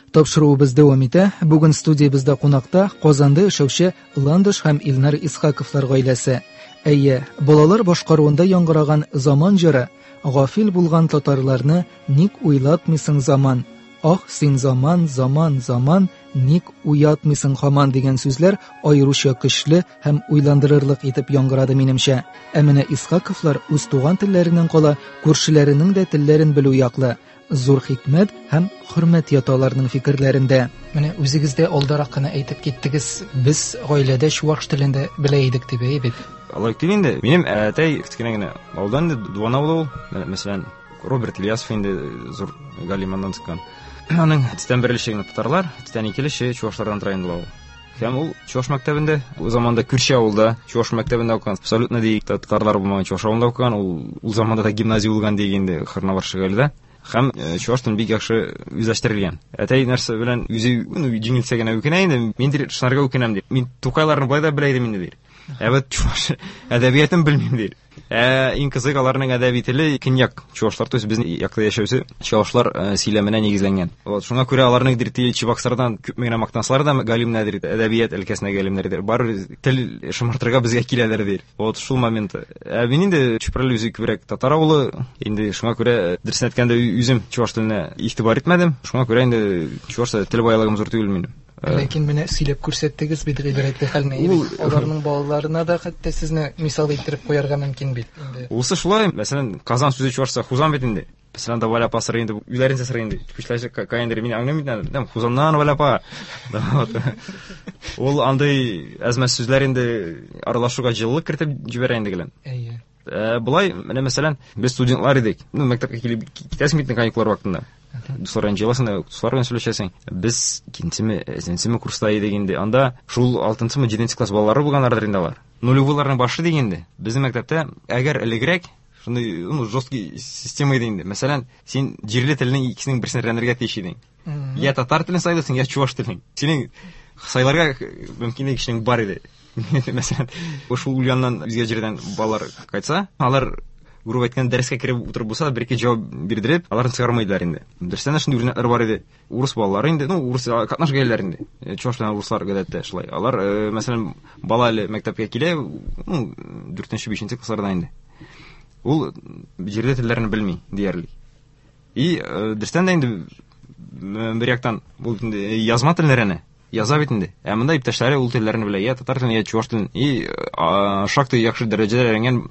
Тапшыруыбыз дәвам итә. Бүген студиябездә кунакта Казанда яшәүче Ландыш һәм Илнар Исхаковлар гаиләсе. Әйе, балалар башкаруында яңгыраган заман җыры Гафил булган татарларны ник уйлатмыйсың заман? Ах, син заман, заман, заман, ник уятмыйсың һаман дигән сүзләр аеруча көчле һәм уйландырырлык итеп яңгырады минемчә. Ә менә Исхаковлар үз туган телләреннән кала күршеләренең дә телләрен белү яклы. Зур хикмәт һәм хөрмәт ята аларның фикерләрендә. Менә үзегез дә алдарак кына әйтеп киттегез, без гаиләдә чуаш телен дә белә идек дип, әйе бит? Алай түгел инде. Минем әтәй кечкенә генә авылдан инде, Дуван авылы ул. Мәсәлән, Роберт Ильясов инде зур галим аннан чыккан. Аның төстән бер өлеше генә татарлар, төстән ике өлеше чуашлардан тора инде ул. Һәм ул чуаш мәктәбендә, ул заманда күрше авылда чуаш мәктәбендә укыган, абсолютно ди татарлар булмаган чуаш авылында укыган, ул заманда да гимназия булган ди инде Хырнавар Шыгайлыда. Һәм чуаш телен бик яхшы үзләштерелгән. Әтәй нәрсә белән үзе, ну, җиңелсә генә үкенә инде, мин дир, шунарга үкенәм ди. Мин Тукайларны болай да белә идем инде ди. Ә вот чуаш әдәбиятын белмим ди. Иң кызык аларның әдәби теле көньяк чуашлар, то есть безнең якта яшәүче чуашлар сөйләменә нигезләнгән. Вот шуңа күрә аларның дир Чебоксардан күпме генә мактансалар да, галимнәр дир, әдәбият өлкәсенә галимнәр дир, барыбер тел шомартырга безгә киләләр дир. Вот шул момент. Ә мин инде Чүпрәле үзе күбрәк татар авылы, инде шуңа күрә дөресен әйткәндә үзем чуаш теленә игътибар итмәдем. Шуңа күрә инде чуаш тел байлыгым зур түгел минем. Ләкин менә сөйләп күрсәттегез бит гыйбрәтле хәлне. Аларның балаларына да хәтта сезне мисал иттереп куярга мөмкин бит инде. Улсы шулай, мәсәлән, Казан сүзе чуашча Хузан бит инде. Мәсәлән, да Валя апа сырый инде, үзләренчә сырый инде. Күчләр каяндыр мин аңлыйм бит инде. Там Хузаннан Валя апа. Ул андый әзмәс сүзләр инде аралашуга җылылык кертеп җибәрә инде гелән. Әйе. Болай, менә мәсәлән, без студентлар идек. Ну, мәктәпкә килеп китәсең бит каникуллар вакытында. Дуслар белән җыеласың да, дуслар белән сөйләшәсең. Без икенчеме, өченчеме курста идек инде. Анда шул алтынчымы, җиденче класс балалары булганнардыр инде алар. Нулевыйларның башы дигән инде. Безнең мәктәптә әгәр элегрәк шундый, ну, жесткий система иде инде. Мәсәлән, син җирле телнең икесенең берсен өйрәнергә тиеш идең. Я татар телен сайлыйсың, я чуваш телен. Синең сайларга мөмкинлек кешенең бар иде. Мәсәлән, шул Ульяннан үзгә җирдән балалар кайтса, алар грубо әйткәндә дәрескә кереп утырып булса, бер-ике җавап бирдереп, аларны чыгармыйдылар инде. Дөрестән дә шундый үрнәкләр бар иде. Урыс балалары инде, ну, урыс катнаш гаиләләр инде. Чуваш белән урыслар гадәттә шулай. Алар, мәсәлән, бала әле мәктәпкә килә, ну, дүртенче, бишенче классларда инде. Ул җирле телләрне белми диярлек. И дөрестән дә инде бер яктан бу инде язма телләрне яза бит инде. Ә монда иптәшләре ул телләрне белә, я татар телен, я чуваш телен. И шактый яхшы дәрәҗәдә өйрәнгән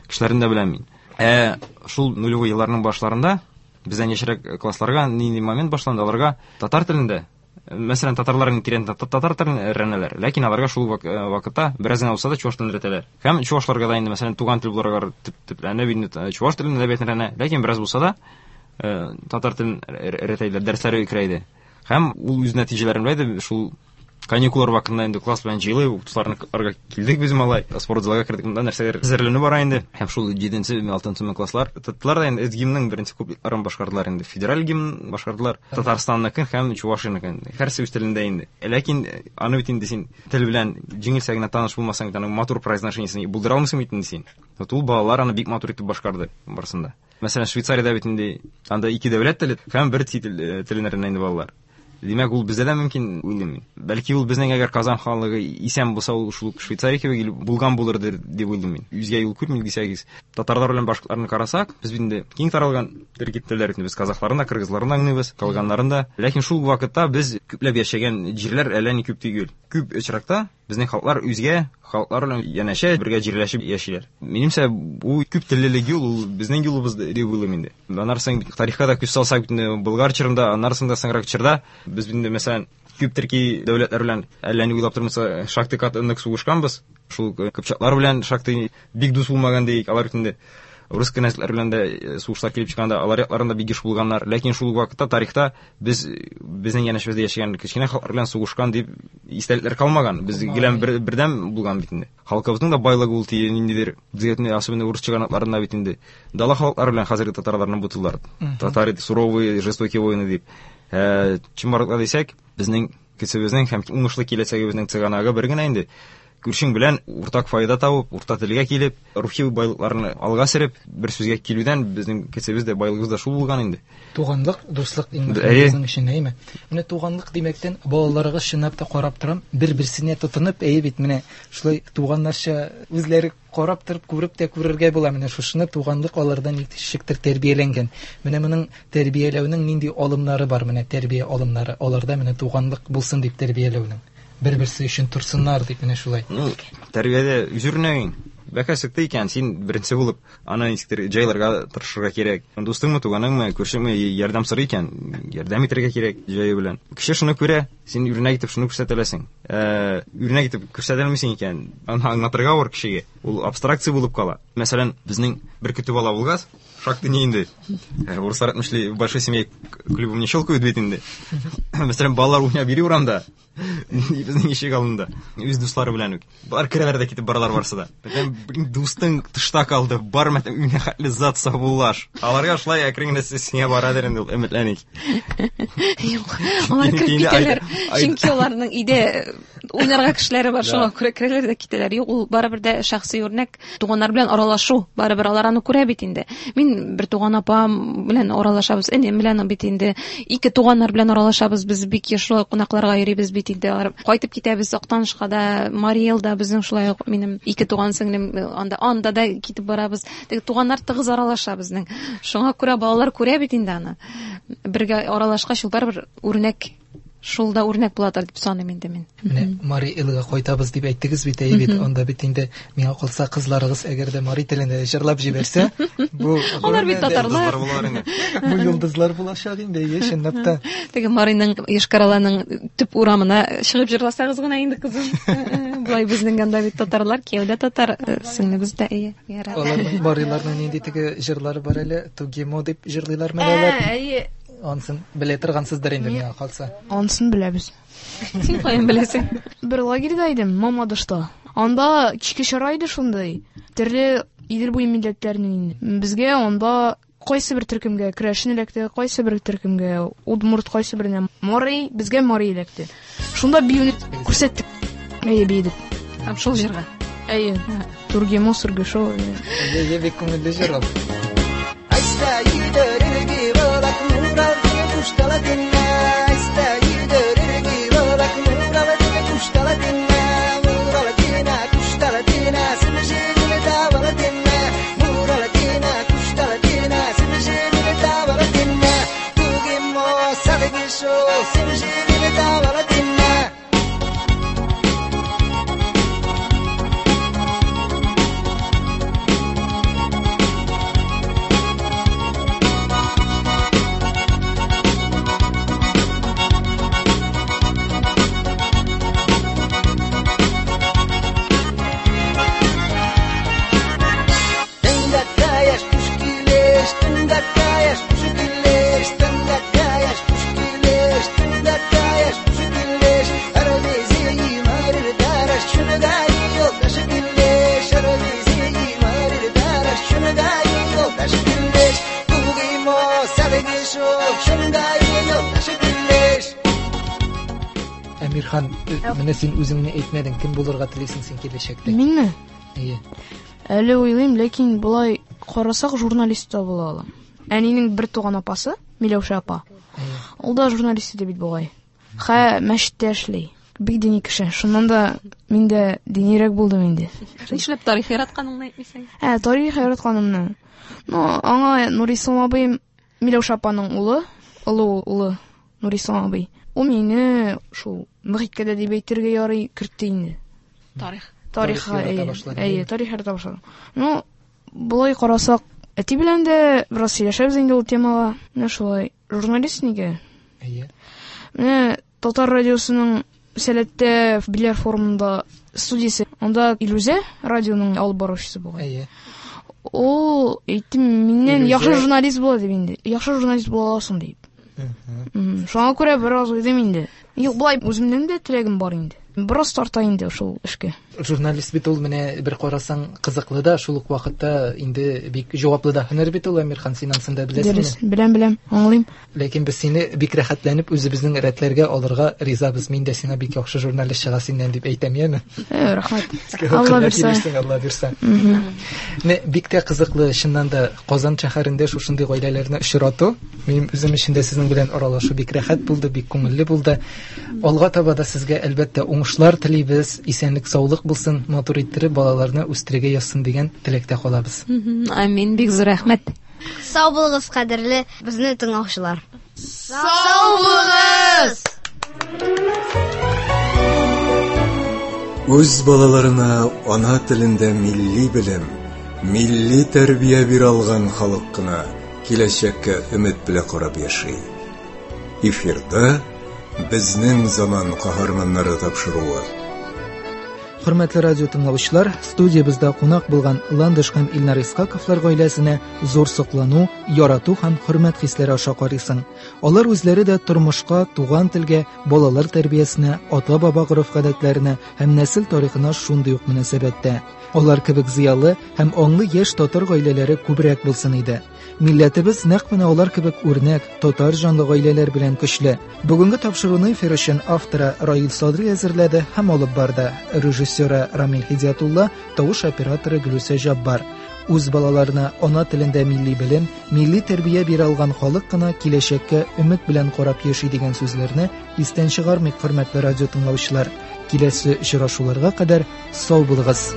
кешеләрне дә беләм мин. Ә шул нулевой елларның башларында бездән яшьрәк классларга нинди момент башланды, аларга татар телендә, мәсәлән, татарларның тирән татар телен өйрәнәләр, ләкин аларга шул вакытта бераз генә булса да чуваш телен өйрәтәләр. Һәм чувашларга да инде, мәсәлән, туган тел буларак төпләнеп инде чуваш телен әдәбиятын өйрәнә, ләкин бераз булса да татар телен өйрәтәләр, дәресләре керә иде. Һәм ул үз нәтиҗәләрен белә иде, шул каникуллар вакытында инде класс белән җыелып, укытучыларга килдек без малай, спорт залга кердек, монда нәрсәләр әзерләнү бара инде. Һәм шул 7-нче, 6-нчы класслар тоттылар да инде гимнның беренче куплетларын башкардылар инде. Федераль гимн башкардылар, Татарстанныкын һәм Чувашияныкын. Һәрсе үз телендә инде. Ләкин аны бит инде син тел белән җиңелчә генә таныш булмасаң, аның матур произношениесен булдыра алмыйсың бит инде син. Вот ул балалар аны бик матур итеп башкарды барысында. Мәсәлән, Швейцариядә бит инде анда ике дәүләт теле һәм бер телен өйрәнә инде балалар. Димәк, ул бездә дә мөмкин, уйлыйм мин. Бәлки ул безнең әгәр Казан ханлыгы исән булса, ул шул ук Швейцария кебек ил булган булыр дип уйлыйм мин. Үзгә юл күрмим дисәгез, татарлар белән башкортларны карасак, без бит инде киң таралган төрки телләр бит, без казахларны да, кыргызларны да аңлыйбыз, калганнарын да. Ләкин шул вакытта без күпләп яшәгән җирләр әллә ни күп түгел. Күп очракта безнең халыклар үзгә халыклар белән янәшә бергә җирләшеп яшиләр. Минемчә, бу күп теллелек юл, ул безнең юлыбыз дип уйлыйм инде. Аннары соң тарихка да күз салсак, бит инде Болгар чорында, аннары соң да соңрак чорда без бит инде, мәсәлән, күп төрки дәүләтләр белән әллә ни уйлап тормыйча шактый каты нык сугышканбыз. Шул кыпчаклар белән шактый бик дус булмаган диек, алар бит инде рус кенәзләре белән дә сугышлар килеп чыкканда алар якларында бик еш булганнар. Ләкин шул ук вакытта тарихта без безнең янәшәбездә яшәгән кечкенә халыклар белән сугышкан дип истәлекләр калмаган. Без гелән бердәм булган бит инде. Халкыбызның да байлыгы ул тие ниндидер безгә особенно урыс чыганакларында бит инде. Дала халыклары белән хәзерге татарларны бутыйлар. Татары суровые, жестокие воины дип. Чынбарлыкта дисәк, безнең көчебезнең һәм уңышлы киләчәгебезнең чыганагы бер генә инде. Күршең белән уртак файда табып, урта телгә килеп, рухи байлыкларны алга сөреп, бер сүзгә килүдән безнең көчебез дә, байлыгыбыз да шул булган инде. Туганлык, дуслык иң мөһиме безнең өчен, әйеме? Менә туганлык димәктән, балаларыгыз чынлап та карап торам, бер-берсенә тотынып, әйе бит, менә шулай туганнарча үзләре карап торып, күреп тә күрергә була. Менә шушыны туганлык алардан ничектер тәрбияләнгән. Менә моның тәрбияләүнең нинди алымнары бар, менә тәрбия алымнары аларда менә туганлык булсын дип тәрбияләүнең. Бер-берсе өчен торсыннар дип менә шулай. Ну, тәрбиядә үз үрнәгең. Бәка чыкты икән, син беренче булып аны ничектер җайларга тырышырга кирәк. Дустыңмы, туганыңмы, күршеңме ярдәм сорый икән, ярдәм итәргә кирәк җае белән. Кеше шуны күрә, син үрнәк итеп шуны күрсәтә аласың. Үрнәк итеп күрсәтә алмыйсың икән, аны аңлатырга авыр кешегә. Ул абстракция булып кала. Мәсәлән, безнең бер көтү бала булгач, шактый ни инде. Урыслар әйтмешли, в большой семье клювом не щелкают бит инде. Мәсәлән, балалар уйнап йөри урамда. Безнең ишек алдында. Үз дуслары белән үк. Бар керәләр дә китеп баралар барсы да. Мәтәм, блин, дустың тышта калды. Бар, мәтәм, өенә хәтле зат саубуллаш. Аларга шулай әкрен генә сиңа барадыр инде ул, өметләник. Юк, алар кереп китәләр. Чөнки аларның өйдә уйнарга кешеләре бар, шуңа күрә керәләр дә китәләр. Юк, ул барыбер дә шәхси үрнәк. Туганнар белән аралашу, барыбер алар аны күрә бит инде. Мин бер туган апам белән аралашабыз, энем белән бит инде. Ике туганнар белән аралашабыз, без бик еш шулай кунакларга йөрибез бит инде. Алар кайтып китәбез Актанышка да, Марий Элда безнең шулай ук минем ике туган сеңлем анда, анда да китеп барабыз. Теге туганнар тыгыз аралаша безнең. Шуңа күрә балалар күрә бит инде аны. Бергә аралашкач, ул барыбер үрнәк, шул да үрнәк буладыр дип саныйм инде мин. Менә Марий Элга кайтабыз дип әйттегез бит, әйе бит. Анда бит инде миңа калса кызларыгыз әгәр дә мари телендә җырлап җибәрсә, бу Алар бит татарлар. Бу йолдызлар булачак инде, әйе, чынлап та. Теге Мариның Йошкар-Оланың төп урамына чыгып җырласагыз гына инде, кызым. Болай безнең анда бит татарлар, кияү дә татар, сеңлебез дә, әйе. Аларның мариларның нинди теге җырлары бар әле, Тугимо дип җырлыйлар менә алар. Әйе. Ансын белә торгансыздыр инде миңа калса. Ансын беләбез. Син каян беләсең? Бер лагерьда идем, Мамадышта. Анда кичке чара иде шундый. Төрле Идел буе милләтләренең инде. Безгә анда кайсы бер төркемгә керәшен эләкте, кайсы бер төркемгә удмурт, кайсы беренә мари, безгә мари эләкте. Шунда биюне күрсәттек. Әйе, биедек. Һәм шул җырга. Әйе. Тургемо, Сургешо. Әйе, бик күңелле җыр ул. Әмирхан, менә син үзеңне әйтмәдең, кем булырга телисең син киләчәктә? Минме? Әйе. Әле уйлыйм, ләкин болай карасак, журналист та була алам. Әнинең бер туган апасы, Миләүшә апа. Ул да журналист иде бит бугай. Хә мәчеттә эшли. Бик дини кеше. Шуннан да мин дә динирәк булдым инде. Нишләп тарих яратканыңны әйтмисең? Ә, тарих яратканымны. Ну, аңа Нурислам абыем Миләүшә апаның улы, олы улы Нурислам абый. Ул мине шул мөхиткә дә дип әйтергә ярый кертте инде. Тарих. Тарихка, Тарих ярата әйе. башладың, Әйе, әйе. тарих ярата башладым. Ну, болай карасак, әти белән дә бераз сөйләшәбез инде ул темага. Менә шулай. Журналист нигә? Әйе. Менә Татар радиосының Сәләттә Биләр форумында студиясе. Анда Илүзә радионың алып баручысы бугай. Әйе. Ул әйтте, миннән Илүзә- яхшы журналист була дип инде. Яхшы журналист була аласың дип. Шуңа күрә бераз уйлыйм инде. Юк, болай үземнең дә теләгем бар инде. Бераз тарта инде шул эшкә. Журналист бит ул менә бер карасаң кызыклы да, шул ук вакытта инде бик җаваплы да һөнәр бит ул, Әмирхан, син анысын да беләсеңме? Дөрес, беләм, беләм, аңлыйм. Ләкин без сине бик рәхәтләнеп үзебезнең рәтләргә алырга ризабыз. Мин дә сиңа бик яхшы журналист чыга синнән дип әйтәм, яме? Рәхмәт. Алла бирсә. Килерсең, Алла бирсә. Менә бик тә кызыклы, чыннан да Казан шәһәрендә шушындый гаиләләрне очрату. Минем үзем өчен дә сезнең белән аралашу бик рәхәт булды, бик күңелле булды. Алга таба да сезгә әлбәттә уңышлар телибез, исәнлек, саулык булсын, матур иттереп балаларны үстерергә язсын дигән теләктә калабыз. Амин, бик зур рәхмәт. Сау булыгыз, кадерле безне тыңлаучылар. Сау булыгыз! Үз балаларына ана телендә милли белем, милли тәрбия бирә алган халык кына киләчәккә өмет белән карап яши. Эфирда безнең заман каһарманнары тапшыруы. Хөрмәтле радио тыңлаучылар, студиябездә кунак булган Ландыш һәм Илнар Исхаковлар гаиләсенә зур соклану, ярату һәм хөрмәт хисләре аша карыйсың. Алар үзләре дә тормышка, туган телгә, балалар тәрбиясенә, ата-баба гореф-гадәтләренә һәм нәсел тарихына шундый ук мөнәсәбәттә. Алар кебек зыялы һәм аңлы яшь татар гаиләләре күбрәк булсын иде. Милләтебез нәкъ менә алар кебек үрнәк, татар җанлы гаиләләр белән көчле. Бүгенге тапшыруны эфир өчен авторы Раил Садри әзерләде һәм алып барды. Режиссеры Рамил Һидиятулла, тавыш операторы Гөлүсә Җаббар. Үз балаларына ана телендә милли белем, милли тәрбия бирә алган халык кына киләчәккә өмет белән карап яши дигән сүзләрне истән чыгармыйк, хөрмәтле радио тыңлаучылар. Киләсе очрашуларга кадәр сау булыгыз.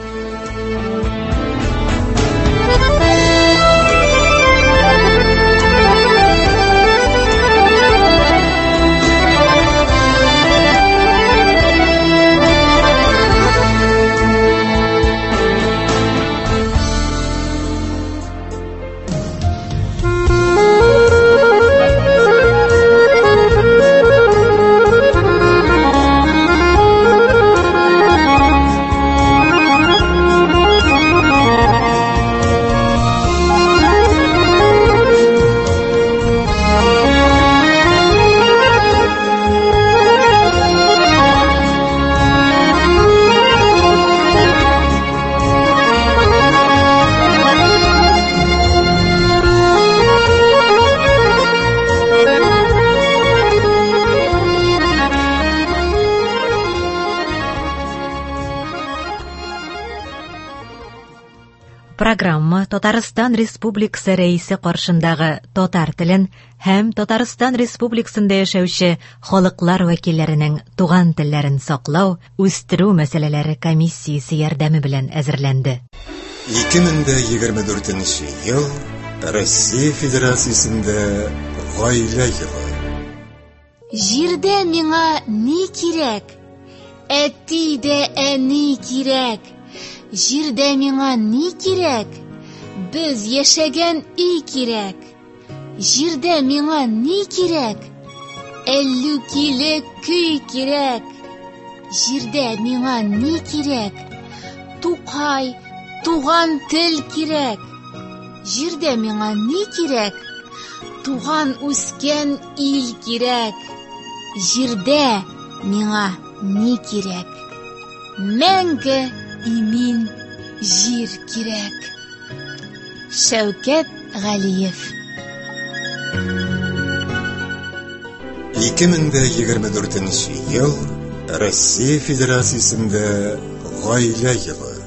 Программа Татарстан Республикасы Рәисе каршындагы татар телен һәм Татарстан Республикасында яшәүче халыклар вәкилләренең туган телләрен саклау, үстерү мәсьәләләре комиссиясе ярдәме белән әзерләнде. 2024 ел Россия Федерациясендә гаилә елы. Җирдә миңа ни кирәк? Әти дә әни кирәк. Җирдә миңа ни кирәк? Без яшәгән өй кирәк. Җирдә миңа ни кирәк? Әллүкиле көй кирәк. Җирдә миңа ни кирәк? Тукай, туган тел кирәк. Җирдә миңа ни кирәк? Туган үскән ил кирәк. Җирдә миңа ни кирәк? Мәңге имин җир кирәк. Шәүкәт Галиев. 2024 ел Россия Федерациясендә гаилә елы.